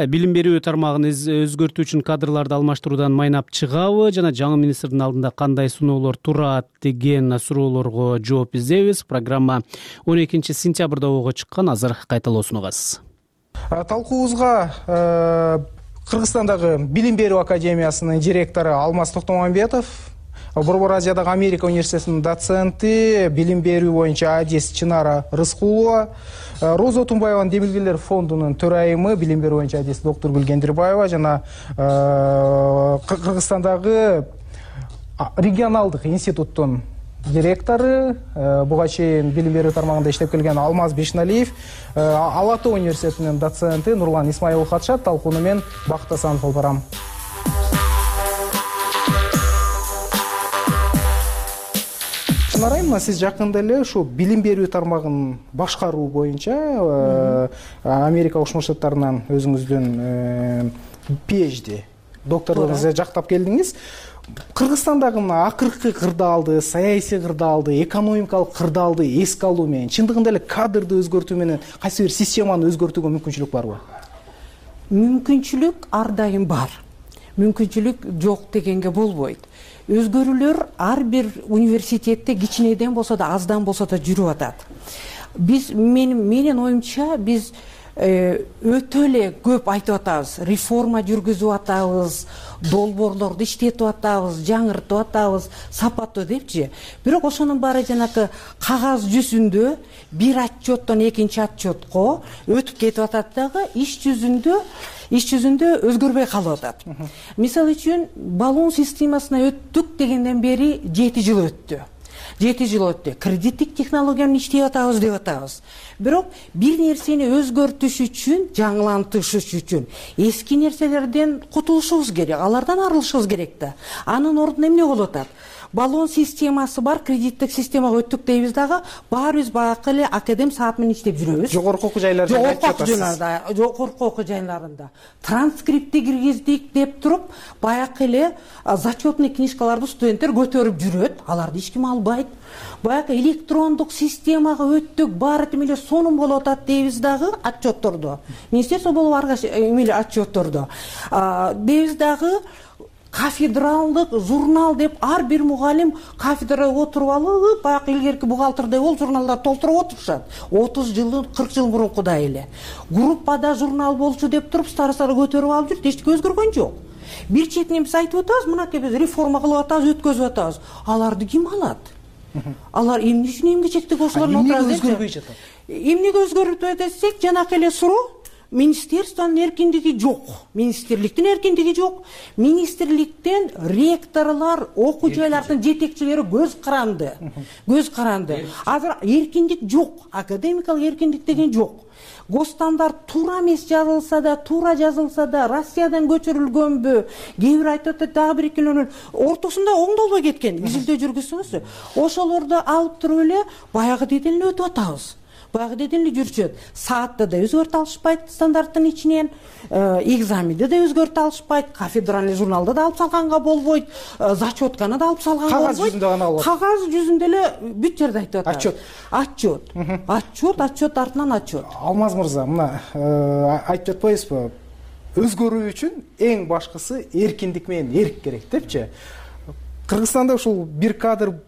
билим берүү тармагын өзгөртүү үчүн кадрларды алмаштыруудан майнап чыгабы жана жаңы министрдин алдында кандай суноолор турат деген суроолорго жооп издейбиз. Программа он экинчи сентябрда ого чыккан. Азыр кайталоосунугасыз. Талкуубузга Кыргызстандагы Билим берүү академиясынын директору Алмаз Токтомамбетов, Борбор Азиядагы Америка университетинин доценти, билим берүү боюнча адис Чынара Рыскулова, Роза Отунбаеванын Демилгелер фондунун төрайымы, билим берүү боюнча адис доктор Гүлгендирбаева жана Кыргызстандагы регионалдык институттун директору, буга чейин билим берүү тармагында иштеп келген Алмаз Бешналиев, Ала Тоо университетинин доценти Нурлан Исмаилов катышат. Талкууну мен Бакыт Асанов алып барам. Чынарайым, сиз жакында эле ушу билим берүү тармагын башкаруу боюнча Америка Кошмо Штаттарынан өзүңүздүн PhD докторлугуңузду жактап келдиңиз. Кыргызстандагы акыркы кырдаалды, саясий кырдаалды, экономикалык кырдаалды эске алуу менен, чындыгында эле кадрды өзгөртүү менен кайсы бир системаны өзгөртүүгө мүмкүнчүлүк барбы? Мүмкүнчүлүк ар дайым бар. Мүмкүнчүлүк жок дегенге болбойт. Өзгөрүүлөр ар бир университетте кичинеден болсо да, аздан болсо да жүрүп атат. Биз менин менин оюмча биз өтө эле көп айтып атабыз, реформа жүргүзүп атабыз, долбоорлорду иштетип атабыз, жаңыртып атабыз, сапаттуу депчи. Бирок ошонун баары жанакы кагаз жүзүндө бир отчеттон экинчи отчетко өтүп кетип атат дагы, иш жүзүндө иш жүзүндө өзгөрбөй калып атат. Мисалы үчүн баллон системасына өттүк дегенден бери жети жыл өттү. жети жыл өттү. Кредиттик технологияны иштеп атабыз деп атабыз. Бирок бир нерсени өзгөртүш үчүн, жаңылантыш үчүн эски нерселерден кутулушубуз керек, алардан арылышыбыз керек да. Анын ордуна эмне болуп атат? баллон системасы бар, кредиттик системага өттүк дейбиз дагы, баарыбыз баягы эле академ саат менен иштеп жүрөбүз. Жогорку окуу жайларда жогорку окуу жайларда жогорку окуу жайларында транскриптти киргиздик деп туруп, баягы эле зачетный книжкаларды студенттер көтөрүп жүрөт, аларды эч ким албайт. Баягы электрондук системага өттүк, баары тең эле сонун болуп атат дейбиз дагы отчеттордо. Министерство болуп аргаш эмеле отчеттордо. Дейбиз дагы кафедралдык журнал деп ар бир мугалим кафедрада отуруп алып, баягы илгерки бухгалтердей болуп журналдарды толтуруп отурушат. отуз жыл, кырк жыл мурункудай эле. Группада журнал болчу деп туруп старосталар көтөрүп алып жүрүп, эчтеке өзгөргөн жок. Бир четинен биз айтып атабыз, мынакей биз реформа кылып атабыз, өткөзүп атабыз. Аларды ким алат? Алар эмне үчүн эмгичектеги ошолордун отурат? Эмнеге өзгөрбөй жатат? Эмнеге өзгөрбөй десек, жанакы эле суроо. Министерствонун эркиндиги жок, министрликтин эркиндиги жок. Министрликтен ректорлор, окуу жайлардын жетекчилери көз каранды. Көз каранды. Азыр эркиндик жок, академикалык эркиндик деген жок. Госстандарт туура эмес жазылса да, туура жазылса да, Россиядан көчүрүлгөнбү? Кээ бир айтып атат, дагы бир экөөнүн ортосунда оңдолбой кеткен. Изилдөө жүргүзсөңүзчү. Ошолорду алып туруп эле баягы деден эле өтүп атабыз. Баягы деден эле жүрчүөт. Саатты да өзгөртө алышпайт стандарттын ичинен, экзаменди да өзгөртө алышпайт, кафедральный журналды да алып салганга болбойт, зачетканы да алып салганга болбойт. Кагаз жүзүндө гана болот. Кагаз жүзүндө эле бүт жерде айтып атат. Отчет. Отчет. Отчет, отчет артынан отчет. Алмаз мырза, мына айтып жатпайсызбы? Өзгөрүү үчүн эң башкысы эркиндик менен эрк керек депчи. Кыргызстанда ушул бир кадр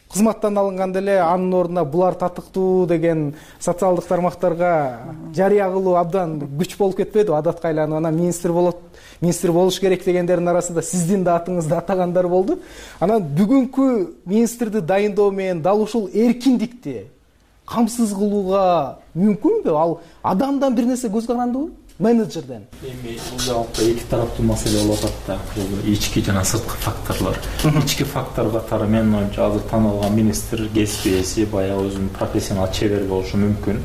кызматтан алынганда эле анын ордуна булар татыктуу деген социалдык тармактарга жарыя кылуу абдан күч болуп кетпеди? Адатка айланып, анан министр болот, министр болуш керек дегендердин арасында сиздин да атыңызды атагандар болду. Анан бүгүнкү министрди дайындоо менен дал ушул эркиндикти камсыз кылууга мүмкүнбү? Ал адамдан бир нерсе көз карандыбы? Менеджерден. Эми бул жакта эки тараптуу маселе болуп атат да. Бул ички жана сырткы факторлор. Ички фактор катары менин оюмча азыр таанылган министр кесип ээси, баягы өзүнүн профессионал чебер болушу мүмкүн.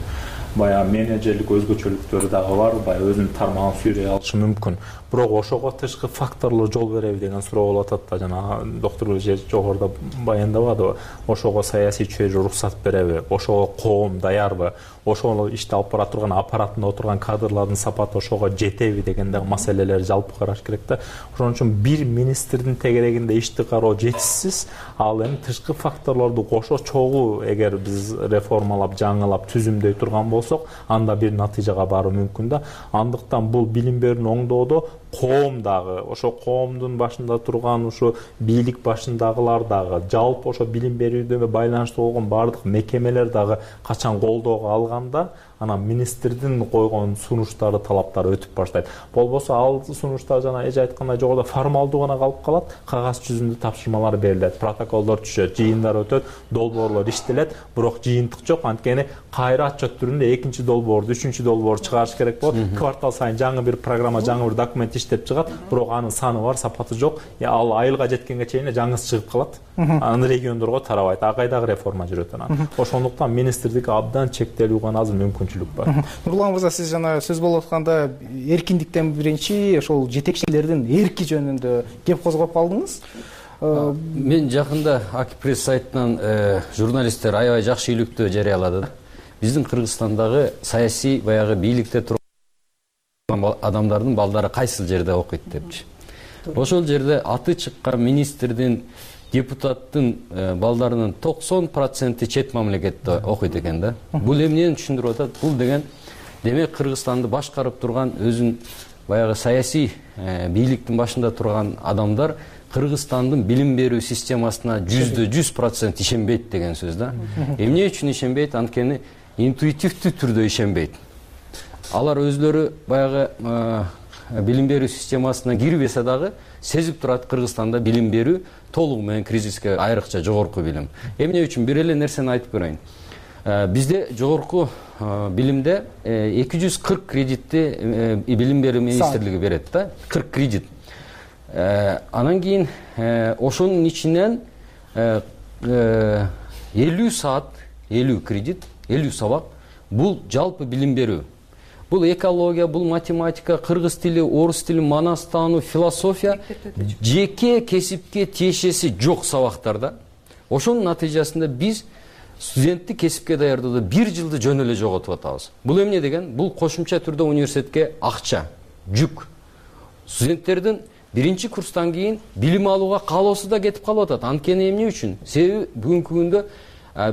Баягы менеджерлик өзгөчөлүктөрү дагы бар, баягы өзүнүн тармагын сүйрөй алышы мүмкүн. Бирок ошого тышкы факторлор жол береби деген суроо болуп атат да. Жана доктор жогоруда баяндабадыбы? Ошого саясий чөйрө уруксат береби? Ошого коом даярбы? Ошол ишти алып бара турган аппаратында отурган кадрлардын сапаты ошого жетеби деген дагы маселелерди жалпы караш керек да. Ошон үчүн бир министрдин тегерегинде ишти кароо жетишсиз, ал эми тышкы факторлорду кошо чогуу эгер биз реформалап, жаңылап, түзүмдөй турган болсок, анда бир натыйжага баруу мүмкүн да. Андыктан бул билим берүүнү оңдоодо коом дагы, ошо коомдун башында турган ушу бийлик башындагылар дагы, жалпы ошо билим берүүдө байланыштуу болгон баардык мекемелер дагы качан колдоого алганда, анан министрдин койгон сунуштары, талаптары өтүп баштайт. Болбосо ал сунуштар жана эже айткандай жогоруда формалдуу гана калып калат, кагаз жүзүндө тапшырмалар берилет, протоколдор түшөт, жыйындар өтөт, долбоорлор иштелет, бирок жыйынтык жок. Анткени кайра отчет түрүндө экинчи долбоорду, үчүнчү долбоорду чыгарыш керек болот. Квартал сайын жаңы бир программа, жаңы бир документ иштеп чыгат, бирок анын саны бар, сапаты жок. Ал айылга жеткенге чейин жаңысы чыгып калат. Анын региондорго тарабайт. Ага кайдагы реформа жүрөт анан. Ошондуктан министрдик абдан чектелүү гана азыр мүмкүнчүлүк бар. Нурлан мырза, сиз жана сөз болуп атканда эркиндиктен биринчи ошол жетекчилердин эрки жөнүндө кеп козгоп калдыңыз. Мен жакында Акипресс сайтынан журналисттер аябай жакшы иликтөө жарыялады. Биздин Кыргызстандагы саясий баягы бийликте турган адамдардын балдары кайсыл жерде окуйт депчи. Ошол жерде аты чыккан министрдин, депутаттын балдарынын токсон проценти чет мамлекетте окуйт экен да. Бул эмнени түшүндүрүп атат? Бул деген демек Кыргызстанды башкарып турган өзүн баягы саясий бийликтин башында турган адамдар Кыргызстандын билим берүү системасына жүздө жүз процент ишенбейт деген сөз да. Эмне үчүн ишенбейт? Анткени интуитивдүү түрдө ишенбейт. Алар өзлөрү баягы билим берүү системасына кирбесе дагы сезип турат, Кыргызстанда билим берүү толугу менен кризиске, айрыкча жогорку билим. Эмне үчүн? Бир эле нерсени айтып берейин. Бизде жогорку билимде эки жүз кырк кредитти билим берүү министрлиги берет да, кырк кредит. Анан кийин ошонун ичинен элүү саат, элүү кредит, элүү сабак бул жалпы билим берүү. бул экология, бул математика, кыргыз тили, орус тили, манас таануу, философия жеке кесипке тиешеси жок сабактарда. Ошонун натыйжасында биз студентти кесипке даярдоодо бир жылды жөн эле жоготуп атабыз. Бул эмне деген? Бул кошумча түрдө университетке акча, жүк. Студенттердин биринчи курстан кийин билим алууга каалоосу да кетип калып атат. Анткени эмне үчүн? Себеби бүгүнкү күндө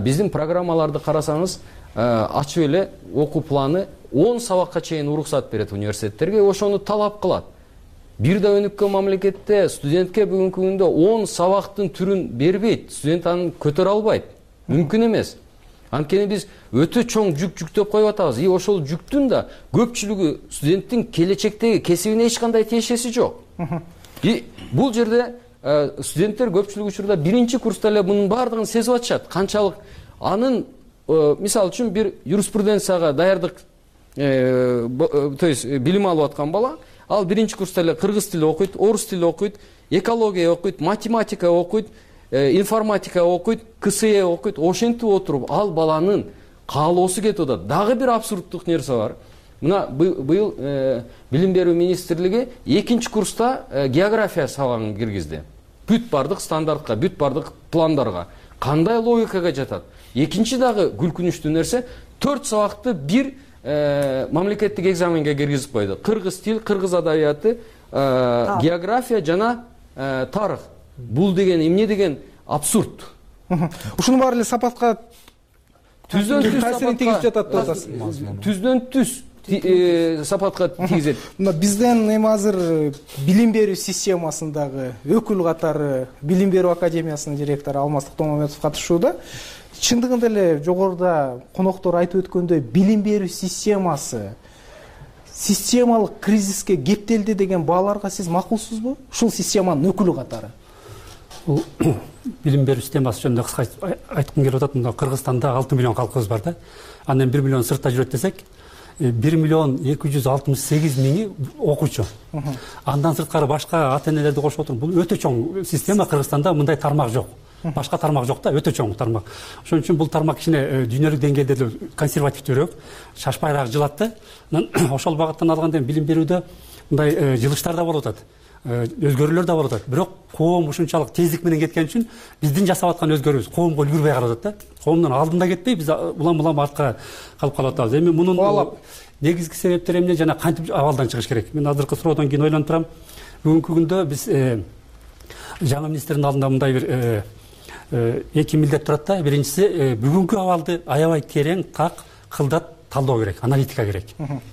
биздин программаларды карасаңыз, ачып эле окуу планы он сабакка чейин уруксат берет университеттерге, ошону талап кылат. Бир да өнүккөн мамлекетте студентке бүгүнкү күндө он сабактын түрүн бербейт, студент аны көтөрө албайт. Мүмкүн эмес. Анткени биз өтө чоң жүк жүктөп коюп атабыз. И ошол жүктүн да көпчүлүгү студенттин келечектеги кесибине эч кандай тиешеси жок. И бул жерде студенттер көпчүлүк учурда биринчи курста эле мунун баардыгын сезип атышат. Канчалык анын, мисалы үчүн, бир юриспруденцияга даярдык, то есть билим алып аткан бала, ал биринчи курста эле кыргыз тили окуйт, орус тили окуйт, экология окуйт, математика окуйт, информатика окуйт, КСЭ окуйт. Ошентип отуруп ал баланын каалоосу кетип атат. Дагы бир абсурдтук нерсе бар. Мына быйыл билим берүү министрлиги экинчи курста география сабагын киргизди. Бүт бардык стандартка, бүт бардык пландарга. Кандай логикага жатат? Экинчи дагы күлкүнүчтүү нерсе, төрт сабакты бир мамлекеттик экзаменге киргизип койду. Кыргыз тил, кыргыз адабияты, география жана тарых. Бул деген эмне деген абсурд. Ушунун баары эле сапатка түздөн түз таасирин тийгизип жатат деп атасыз. Түздөн түз сапатка тийгизет. Мына бизден эми азыр билим берүү системасындагы өкүл катары Билим берүү академиясынын директору Алмаз Токтомаметов катышууда. Чындыгында эле жогоруда коноктор айтып өткөндөй, билим берүү системасы системалык кризиске кептелди деген бааларга сиз макулсузбу? Ушул системанын өкүлү катары. Бул билим берүү системасы жөнүндө кыска айткым келип атат. Мында Кыргызстанда алты миллион калкыбыз бар да. Андан бир миллион сыртта жүрөт десек, бир миллион эки жүз алтымыш сегиз миңи окуучу. Андан сырткары башка ата-энелерди кошуп отуруп, бул өтө чоң система. Кыргызстанда мындай тармак жок. Башка тармак жок да, өтө чоң тармак. Ошон үчүн бул тармак кичине дүйнөлүк деңгээлде эле консервативдүүрөөк, шашпайраак жылат да. Ошол багыттан алганда билим берүүдө мындай жылыштар да болуп атат. Өзгөрүүлөр да болуп атат. Бирок коом ушунчалык тездик менен кеткен үчүн биздин жасап аткан өзгөрүүбүз коомго үлгүрбөй калып атат да. Коомдун алдында кетпей биз улам-улам артка калып калып атабыз. Эми мунун негизги себептери эмне жана кантип абалдан чыгыш керек? Мен азыркы суроодон кийин ойлонуп турам. Бүгүнкү күндө биз жаңы министрдин алдында мындай бир эки милдет турат да. Биринчиси, бүгүнкү абалды аябай терең, так, кылдат талдоо керек, аналитика керек.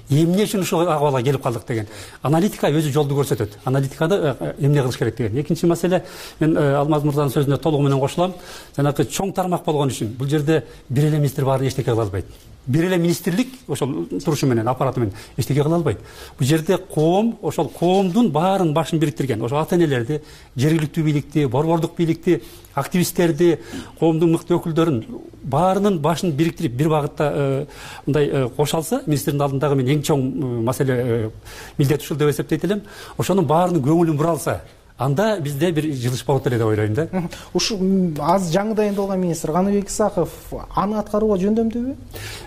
Эмне үчүн ушул абалга келип калдык деген. Аналитика өзү жолду көрсөтөт. Аналитикада эмне кылыш керек деген. Экинчи маселе, мен Алмаз мырзанын сөзүнө толугу менен кошулам. Жанагы чоң тармак болгон үчүн бул жерде бир эле министр баарын эчтеке кыла албайт. Бир эле министрлик ошол турушу менен, аппараты менен эчтеке кыла албайт. Бул жерде коом, ошол коомдун баарын башын бириктирген, ошол ата-энелерди, жергиликтүү бийликти, борбордук бийликти, активисттерди, коомдун мыкты өкүлдөрүн баарынын башын бириктирип бир багытта мындай кошо алса, министрдин алдындагы мен эң чоң маселе милдет ушул деп эсептейт элем. Ошонун баарынын көңүлүн бура алса, анда бизде бир жылыш болот эле деп ойлойм да. Ушу аз жаңы дайындалган министр Каныбек Исаков аны аткарууга жөндөмдүүбү?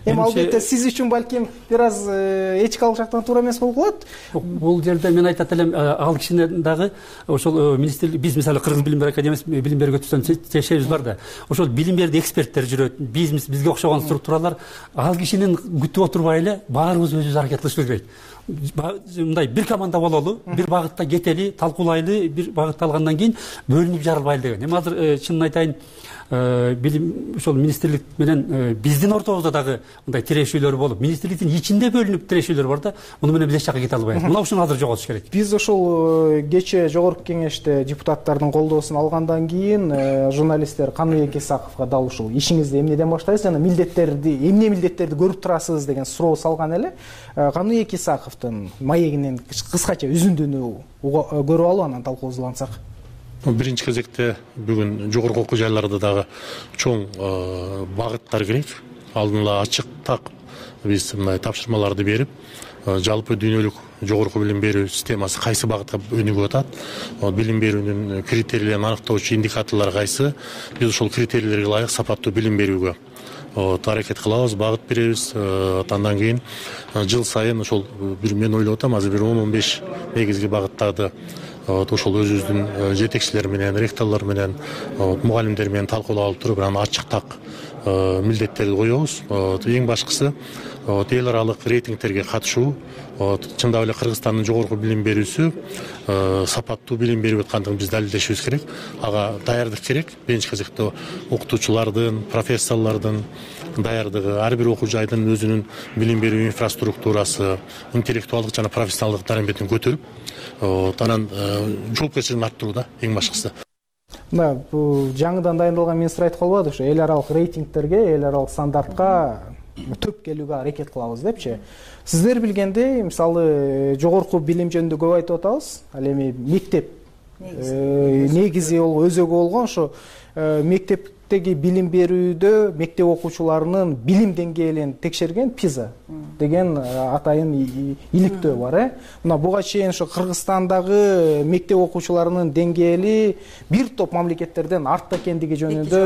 Эми албетте сиз үчүн балким бир аз этикалык жактан туура эмес болуп калат. Бул жерде мен айтат элем, ал кишинин дагы ошол министрлик, биз мисалы Кыргыз билим берүү академиясы билим берүүгө түзгөн чечебиз бар да. Ошол билим берүүдө эксперттер жүрөт, биз бизге окшогон структуралар, ал кишинин күтүп отурбай эле баарыбыз өзүбүз аракет кылышыбыз керек. Мындай бир команда бололу, бир багытта кетели, талкуулайлы, бир багытта алгандан кийин бөлүнүп жарылбайлы деген. Эми азыр чынын айтайын, билим ошол министрлик менен биздин ортобузда дагы мындай тирешүүлөр болуп, министрликтин ичинде бөлүнүп тирешүүлөр бар да. Муну менен биз эч жакка кете албайбыз. Мына ушуну азыр жоготуш керек. Биз ошол кечээ жогорку кеңеште депутаттардын колдоосун алгандан кийин журналисттер Каныбек Исаковго дал ушул ишиңизди эмнеден баштайсыз жана милдеттерди, эмне милдеттерди көрүп турасыз деген суроо салган эле. Каныбек Исаковдун маегинен кыскача үзүндүнү көрүп алып анан талкуубузду улантсак. Биринчи кезекте бүгүн жогорку окуу жайларда дагы чоң багыттар керек. Алдын ала ачык, так биз мындай тапшырмаларды берип, жалпы дүйнөлүк жогорку билим берүү системасы кайсы багытка өнүгүп атат, билим берүүнүн критерийлерин аныктоочу индикаторлор кайсы, биз ошол критерийлерге ылайык сапаттуу билим берүүгө аракет кылабыз, багыт беребиз. Андан кийин жыл сайын ошол бир мен ойлоп атам, азыр бир он он беш негизги багыттарды ошол өзүбүздүн жетекчилер менен, ректорлор менен, мугалимдер менен талкуулап алып туруп, анан ачык так милдеттерди коебуз. Эң башкысы эл аралык рейтингтерге катышуу. Чындап эле Кыргызстандын жогорку билим берүүсү сапаттуу билим берип аткандыгын биз далилдешибиз керек. Ага даярдык керек. Биринчи кезекте окутуучулардын, профессорлордун даярдыгы, ар бир окуу жайдын өзүнүн билим берүү инфраструктурасы, интеллектуалдык жана профессионалдык дараметін көтөрүп, анан жоопкерчилигин арттыруу да эң башкысы. Мына бул жаңыдан дайындалган министр айтып калбады, ошо эл аралык рейтингтерге, эл аралык стандартка төп келүүгө аракет кылабыз депчи. Сиздер билгендей, мисалы жогорку билим жөнүндө көп айтып атабыз. Ал эми мектеп негизи ол өзөгү болгон ошо мектептеги билим берүүдө мектеп окуучуларынын билим деңгээлин текшерген пиза деген атайын иликтөө бар, э. Мына буга чейин ошо Кыргызстандагы мектеп окуучуларынын деңгээли бир топ мамлекеттерден артта экендиги жөнүндө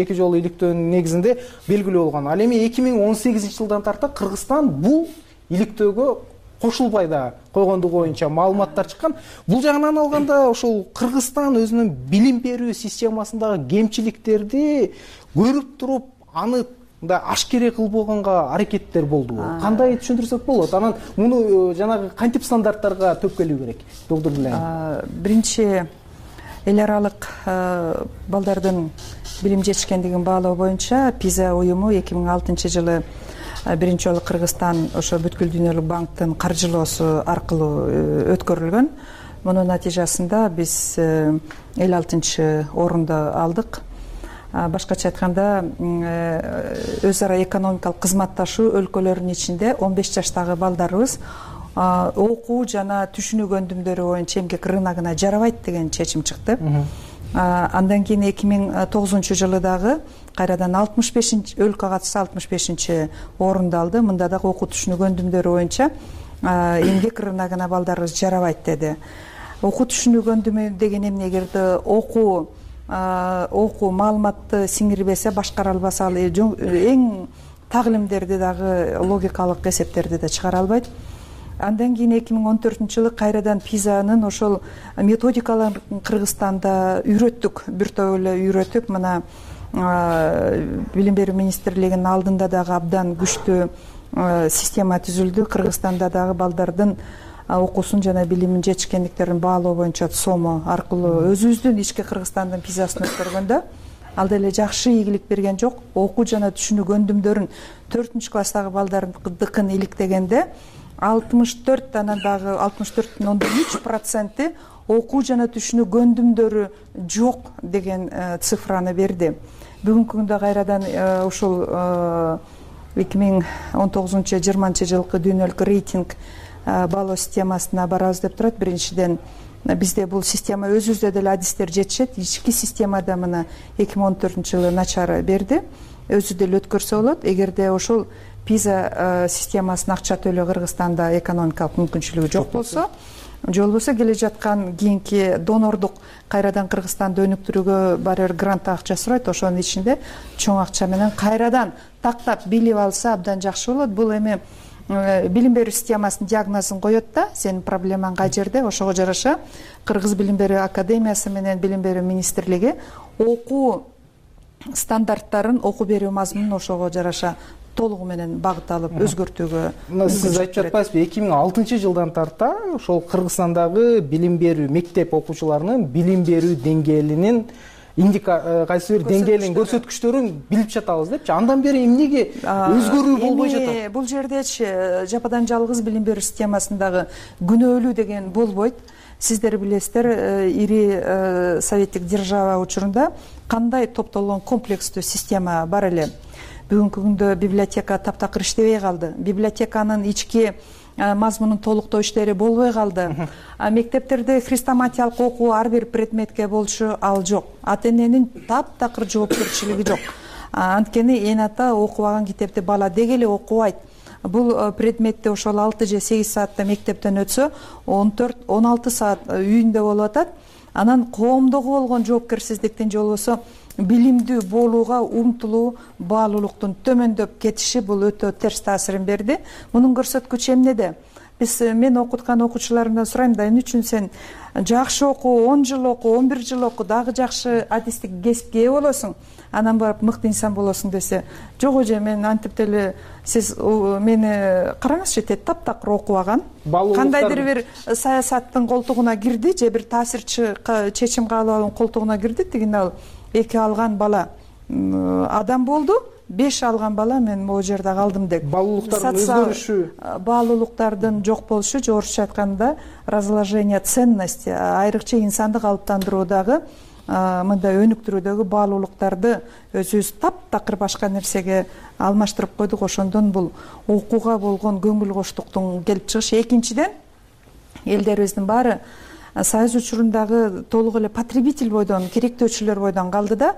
эки жолу иликтөөнүн негизинде белгилүү болгон. Ал эми эки миң он сегизинчи жылдан тарта Кыргызстан бул иликтөөгө кошулбай да койгондугу боюнча маалыматтар чыккан. Бул жагынан алганда ошол Кыргызстан өзүнүн билим берүү системасындагы кемчиликтерди көрүп туруп, аны да ашкере кылбаганга аракеттер болдубу? Кандай түшүндүрсөк болот? Анан муну жанагы кантип стандарттарга төп келүү керек? Доктор Билен. Биринчи эл аралык балдардын билим жетишкендигин баалоо боюнча пиза уюму эки миң алтынчы жылы биринчи жолу Кыргызстан ошо бүткүл дүйнөлүк банктын каржылоосу аркылуу өткөрүлгөн. Мунун натыйжасында биз элүү алтынчы орунду алдык. Башкача айтканда, өз ара экономикалык кызматташуу өлкөлөрүнүн ичинде он беш жаштагы балдарыбыз окуу жана түшүнүү көндүмдөрү боюнча эмгек рыногуна жарабайт деген чечим чыкты. Андан кийин эки миң тогузунчу жылы дагы кайрадан алтымыш бешинчи өлкө катышса алтымыш бешинчи орунду алды. Мында дагы окуу түшүнүү көндүмдөрү боюнча эмгек рыногуна балдарыбыз жарабайт деди. Окуу түшүнүү көндүмү деген эмне? Эгерде окуу окуу маалыматты сиңирбесе, башкара албаса, ал эң тагылимдерди дагы логикалык эсептерди да чыгара албайт. Андан кийин эки миң он төртүнчү жылы кайрадан пизанын ошол методикаларын Кыргызстанда үйрөттүк, бир топ эле үйрөтүп, мына билим берүү министрлигинин алдында дагы абдан күчтүү система түзүлдү. Кыргызстанда дагы балдардын окуусун жана билимин жетишкендиктерин баалоо боюнча сому аркылуу өзүбүздүн ички Кыргызстандын пизасын өткөргөндө ал деле жакшы ийгилик берген жок. Окуу жана түшүнүү көндүмдөрүн төртүнчү класстагы балдардыкын иликтегенде алтымыш төрт, анан дагы алтымыш төрт бүтүн ондон үч проценти окуу жана түшүнүү көндүмдөрү жок деген цифраны берди. Бүгүнкү күндө кайрадан ушул эки миң он тогузунчу жыйырманчы жылкы дүйнөлүк рейтинг баалоо системасына барабыз деп турат. Биринчиден бизде бул система өзүбүздө деле адистер жетишет. Ички системада мына эки миң он төртүнчү жылы начар берди. Өзү деле өткөрсө болот. Эгерде ошол пиза системасын акча төлөө Кыргызстанда экономикалык мүмкүнчүлүгү жок болсо, же болбосо келе жаткан кийинки донордук кайрадан Кыргызстанды өнүктүрүүгө барыр грант акча сурайт. Ошонун ичинде чоң акча менен кайрадан тактап билип алса абдан жакшы болот. Бул эми билим берүү системасынын диагнозун коет да, сенин проблемаң кай жерде. Ошого жараша Кыргыз билим берүү академиясы менен билим берүү министрлиги окуу стандарттарын, окуу берүү мазмунун ошого жараша толугу менен багыт алып өзгөртүүгө. Сиз айтып жатпайсызбы, эки миң алтынчы жылдан тарта ошол Кыргызстандагы билим берүү мектеп окуучуларынын билим берүү деңгээлинин индика кайсы бир деңгээлин көрсөткүчтөрүн билип жатабыз депчи. Андан бери эмнеге өзгөрүү болбой жатат? Бул жердечи жападан жалгыз билим берүү системасындагы күнөөлүү деген болбойт. Сиздер билесиздер, ири советтик держава учурунда кандай топтолгон комплекстүү система бар эле. Бүгүнкү күндө библиотека таптакыр иштебей калды. Библиотеканын ички мазмунун толуктоо иштери болбой калды. Мектептерде хрестоматиялык окуу ар бир предметке болчу ал жок. Ата эненин таптакыр жоопкерчилиги жок. Анткени эне ата окубаган китепти бала деги эле окубайт. Бул предметти ошол алты же сегиз саатта мектептен өтсө, он төрт он алты саат үйүндө болуп атат. Анан коомдогу болгон жоопкерсиздиктин же болбосо билимдүү болууга умтулуу, баалуулуктун төмөндөп кетиши бул өтө терс таасирин берди. Мунун көрсөткүчү эмнеде? Биз мен окуткан окуучуларымдан сурайм да, эмне үчүн сен жакшы оку, он жыл оку, он бир жыл оку, дагы жакшы адистик кесипке ээ болосуң, анан барып мыкты инсан болосуң десе, жок эже, мен антип деле сиз мени караңызчы, тет таптакыр окубаган, кандайдыр бир саясаттын колтугуна кирди же бир таасирчи чечим кабыл алуунун колтугуна кирди. Тигине ал эки алган бала адам болду, беш алган бала мен могу жерде калдым деп. Баалуулуктардын өзгөрүшү, баалуулуктардын жок болушу, же орусча айтканда разложение ценности, айрыкча инсанды калыптандыруудагы, мындай өнүктүрүүдөгү баалуулуктарды өзүбүз таптакыр башка нерсеге алмаштырып койдук. Ошондон бул окууга болгон көңүл коштуктун келип чыгышы. Экинчиден, элдерибиздин баары союз учурундагы толук эле потребитель бойдон, керектөөчүлөр бойдон калды да.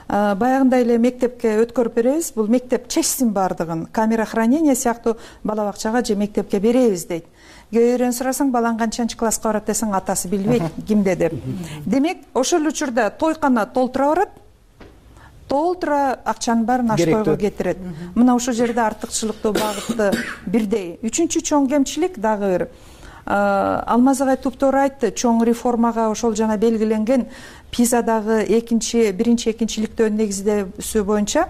Баягындай эле мектепке өткөрүп беребиз, бул мектеп чечсин баардыгын, камера хранения сыяктуу бала бакчага же мектепке беребиз дейт. Күйөөрөн сурасаң, балаң канчанчы класска барат десең, атасы билбейт кимде деп. Демек, ошол учурда тойкана толтура барат, толтура акчанын баарын ашкойго кетирет. Мына ошол жерде артыкчылыктуу багытты бирдей. Үчүнчү чоң кемчилик дагы бир. Алмаз агай туптуура айтты, чоң реформага ошол жана белгиленген пизадагы экинчи, биринчи, экинчи иликтөөнүн негиздөөсү боюнча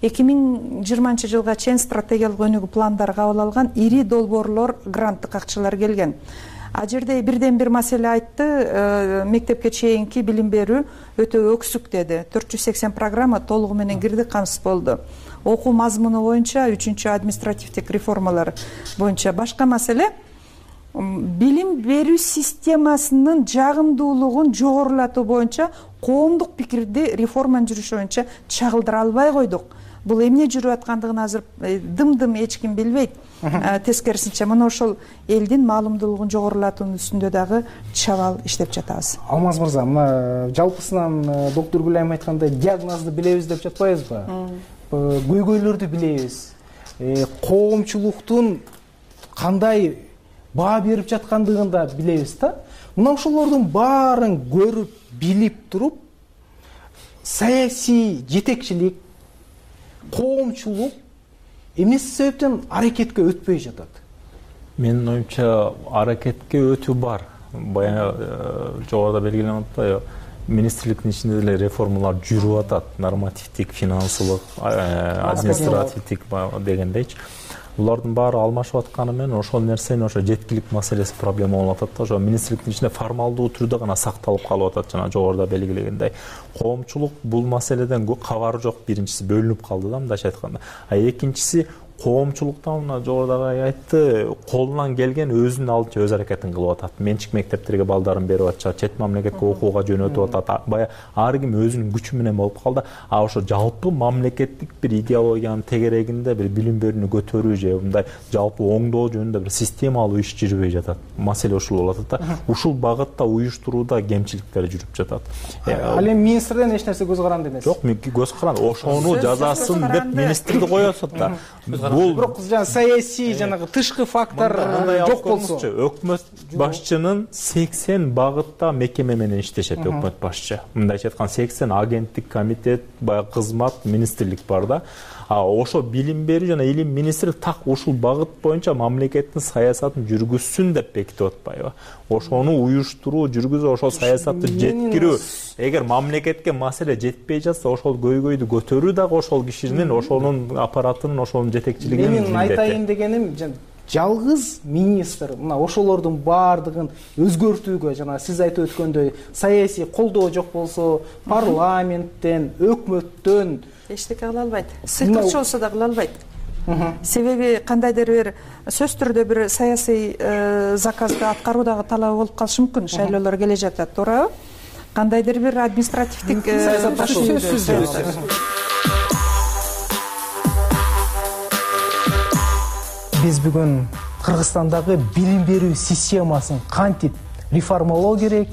эки миң жыйырманчы жылга чейин стратегиялык өнүгүү пландары кабыл алган ири долбоорлор, гранттык акчалар келген. А жерде бирден бир маселе айтты, мектепке чейинки билим берүү өтө өксүк деди. төрт жүз сексен программа толугу менен кирди, камсыз болду. Окуу мазмуну боюнча, үчүнчү административдик реформалар боюнча башка маселе, билим берүү системасынын жагымдуулугун жогорулатуу боюнча коомдук пикирди реформанын жүрүшү боюнча чагылдыра албай койдук. Бул эмне жүрүп аткандыгын азыр дым-дым эч ким билбейт. Тескерисинче, мына ошол элдин маалымдуулугун жогорулатуунун үстүндө дагы чабал иштеп жатабыз. Алмаз мырза, мына жалпысынан доктор Гүлайым айткандай диагнозду билебиз деп жатпайбызбы? Көйгөйлөрдү билебиз. Коомчулуктун кандай баа берип жаткандыгын да билебиз да. Мына ошолордун баарын көрүп, билип туруп, саясий жетекчилик, коомчулук эмне себептен аракетке өтпөй жатат? Менин оюмча, аракетке өтүү бар. Баягы жогоруда белгиленип атпайбы? Министрликтин ичинде деле реформалар жүрүп атат. Нормативдик, финансылык, административдик дегендейчи. Булардын баары алмашып атканы менен ошол нерсени, ошо жеткилик маселеси проблема болуп атат да. Ошо министрликтин ичинде формалдуу түрдө гана сакталып калып атат, жана жогоруда белгилегендей. Коомчулук бул маселеден кабары жок. Биринчиси бөлүнүп калды да, мындайча айтканда. А экинчиси коомчулуктан, мына жогоруда айтты, колунан келген өзүнүн алдынча өз аракетин кылып атат. Менчик мектептерге балдарын берип атышат, чет мамлекетке окууга жөнөтүп атат. Бая ар ким өзүнүн күчү менен болуп калды. А ошо жалпы мамлекеттик бир идеологиянын тегерегинде бир билим берүүнү көтөрүү же мындай жалпы оңдоо жөнүндө бир системалуу иш жүрбөй жатат. Маселе ушул болуп атат да. Ушул багытта уюштурууда кемчиликтер жүрүп жатат. Ал эми министрден эч нерсе көз каранды эмес. Жок, көз каранды. Ошону жазасын деп министрди коесуз да. Бул бирок жана саясий жанагы тышкы фактор жок болсо, өкмөт башчынын сексен багытта мекеме менен иштешет өкмөт башчы. Мындайча айтканда сексен агенттик, комитет, баягы кызмат, министрлик бар да. А ошо билим берүү жана илим министри так ушул багыт боюнча мамлекеттин саясатын жүргүзсүн деп бекитип атпайбы? Ошону уюштуруу, жүргүзүү, ошол саясатты жеткирүү. Эгер мамлекетке маселе жетпей жатса, ошол көйгөйдү көтөрүү дагы ошол кишинин, ошонун аппаратынын, ошонун жетекчилигинин милдети. Менин айтайын дегеним, жалгыз министр мына ошолордун баардыгын өзгөртүүгө, жана сиз айтып өткөндөй, саясий колдоо жок болсо, парламенттен, өкмөттөн эчтеке кыла албайт. Сыйкырчы болсо да кыла албайт. Себеби кандайдыр бир сөз түрдө бир саясий заказды аткаруудагы талабы болуп калышы мүмкүн. Шайлоолор келе жатат, туурабы? Кандайдыр бир административдик сөзсүз. Биз бүгүн Кыргызстандагы билим берүү системасын кантип реформалоо керек,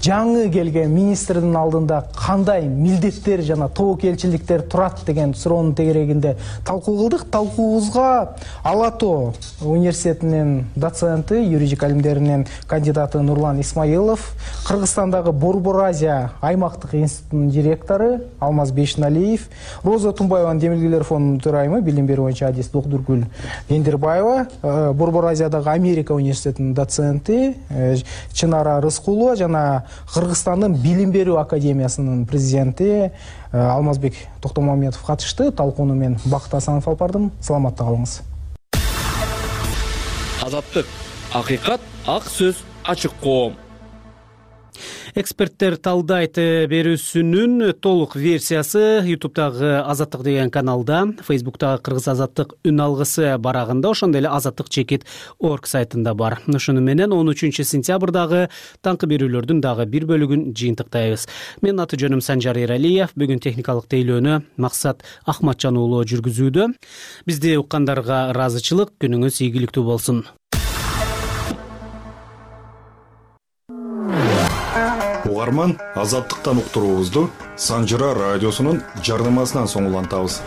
жаңы келген министрдин алдында кандай милдеттер жана тобокелчиликтер турат деген суроонун тегерегинде талкуу кылдык. Талкуубузга Ала Тоо университетинин доценти, юридика илимдеринин кандидаты Нурлан Исмаилов, Кыргызстандагы Борбор Азия аймактык институтунун директору Алмаз Бейшеналиев, Роза Тумбаеванын Демилгелер фондунун төрайымы, билим берүү боюнча адис Доктургүл Эндирбаева, Борбор Азиядагы Америка университетинин доценти Чынара Рыскулова жана Кыргызстандын билим берүү академиясынын президенти Алмазбек Токтомамедов катышты. Талкууну мен Бакыт Асанов алып бардым. Саламатта калыңыз. Азаттык, акыйкат, ак сөз, ачык коом. Эксперттер талдайт берүүсүнүн толук версиясы ютубтагы Азаттык деген каналда, Фейсбуктагы Кыргыз Азаттык үн алгысы барагында, ошондой эле азаттык чекит орг сайтында бар. Ошону менен он үчүнчү сентябрдагы таңкы берүүлөрдүн дагы бир бөлүгүн жыйынтыктайбыз. Мен аты жөнүм Санжар Эралиев. Бүгүн техникалык тейлөөнү Максат Ахматжан уулу жүргүзүүдө. Бизди уккандарга ыраазычылык, күнүңүз ийгиликтүү болсун. Угарман, азаттыктан уктуруубузду Санжыра радиосунун жардамасынан соң улантабыз.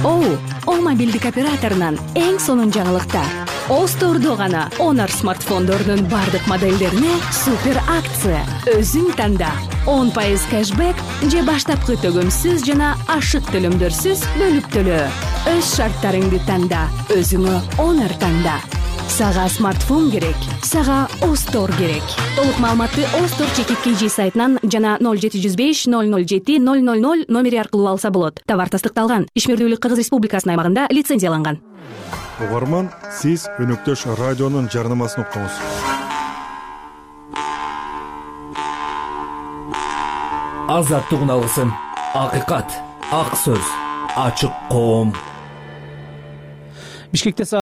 Оу, О мобилдик операторунан эң сонун жаңылыктар. Остордо гана Honor смартфондорунун бардык моделдерине супер акция. Өзүң танда. он пайыз кэшбэк же баштапкы төгөмсүз жана ашык төлөмдөрсүз бөлүп төлөө. Өз шарттарыңды танда, өзүңө Honor танда. Сага смартфон керек, сага Остор керек. Толук маалыматты Остор чекит кей жи сайтынан жана ноль жети жүз беш ноль ноль жети ноль ноль ноль номери аркылуу алса болот. Товар тастыкталган, ишмердүүлүк Кыргыз Республикасынын аймагында лицензияланган. Угарман, сиз өнөктөш радионун жарнамасын уктуңуз. Азаттык алгысын, акыйкат, ак сөз, ачык коом. Бишкекте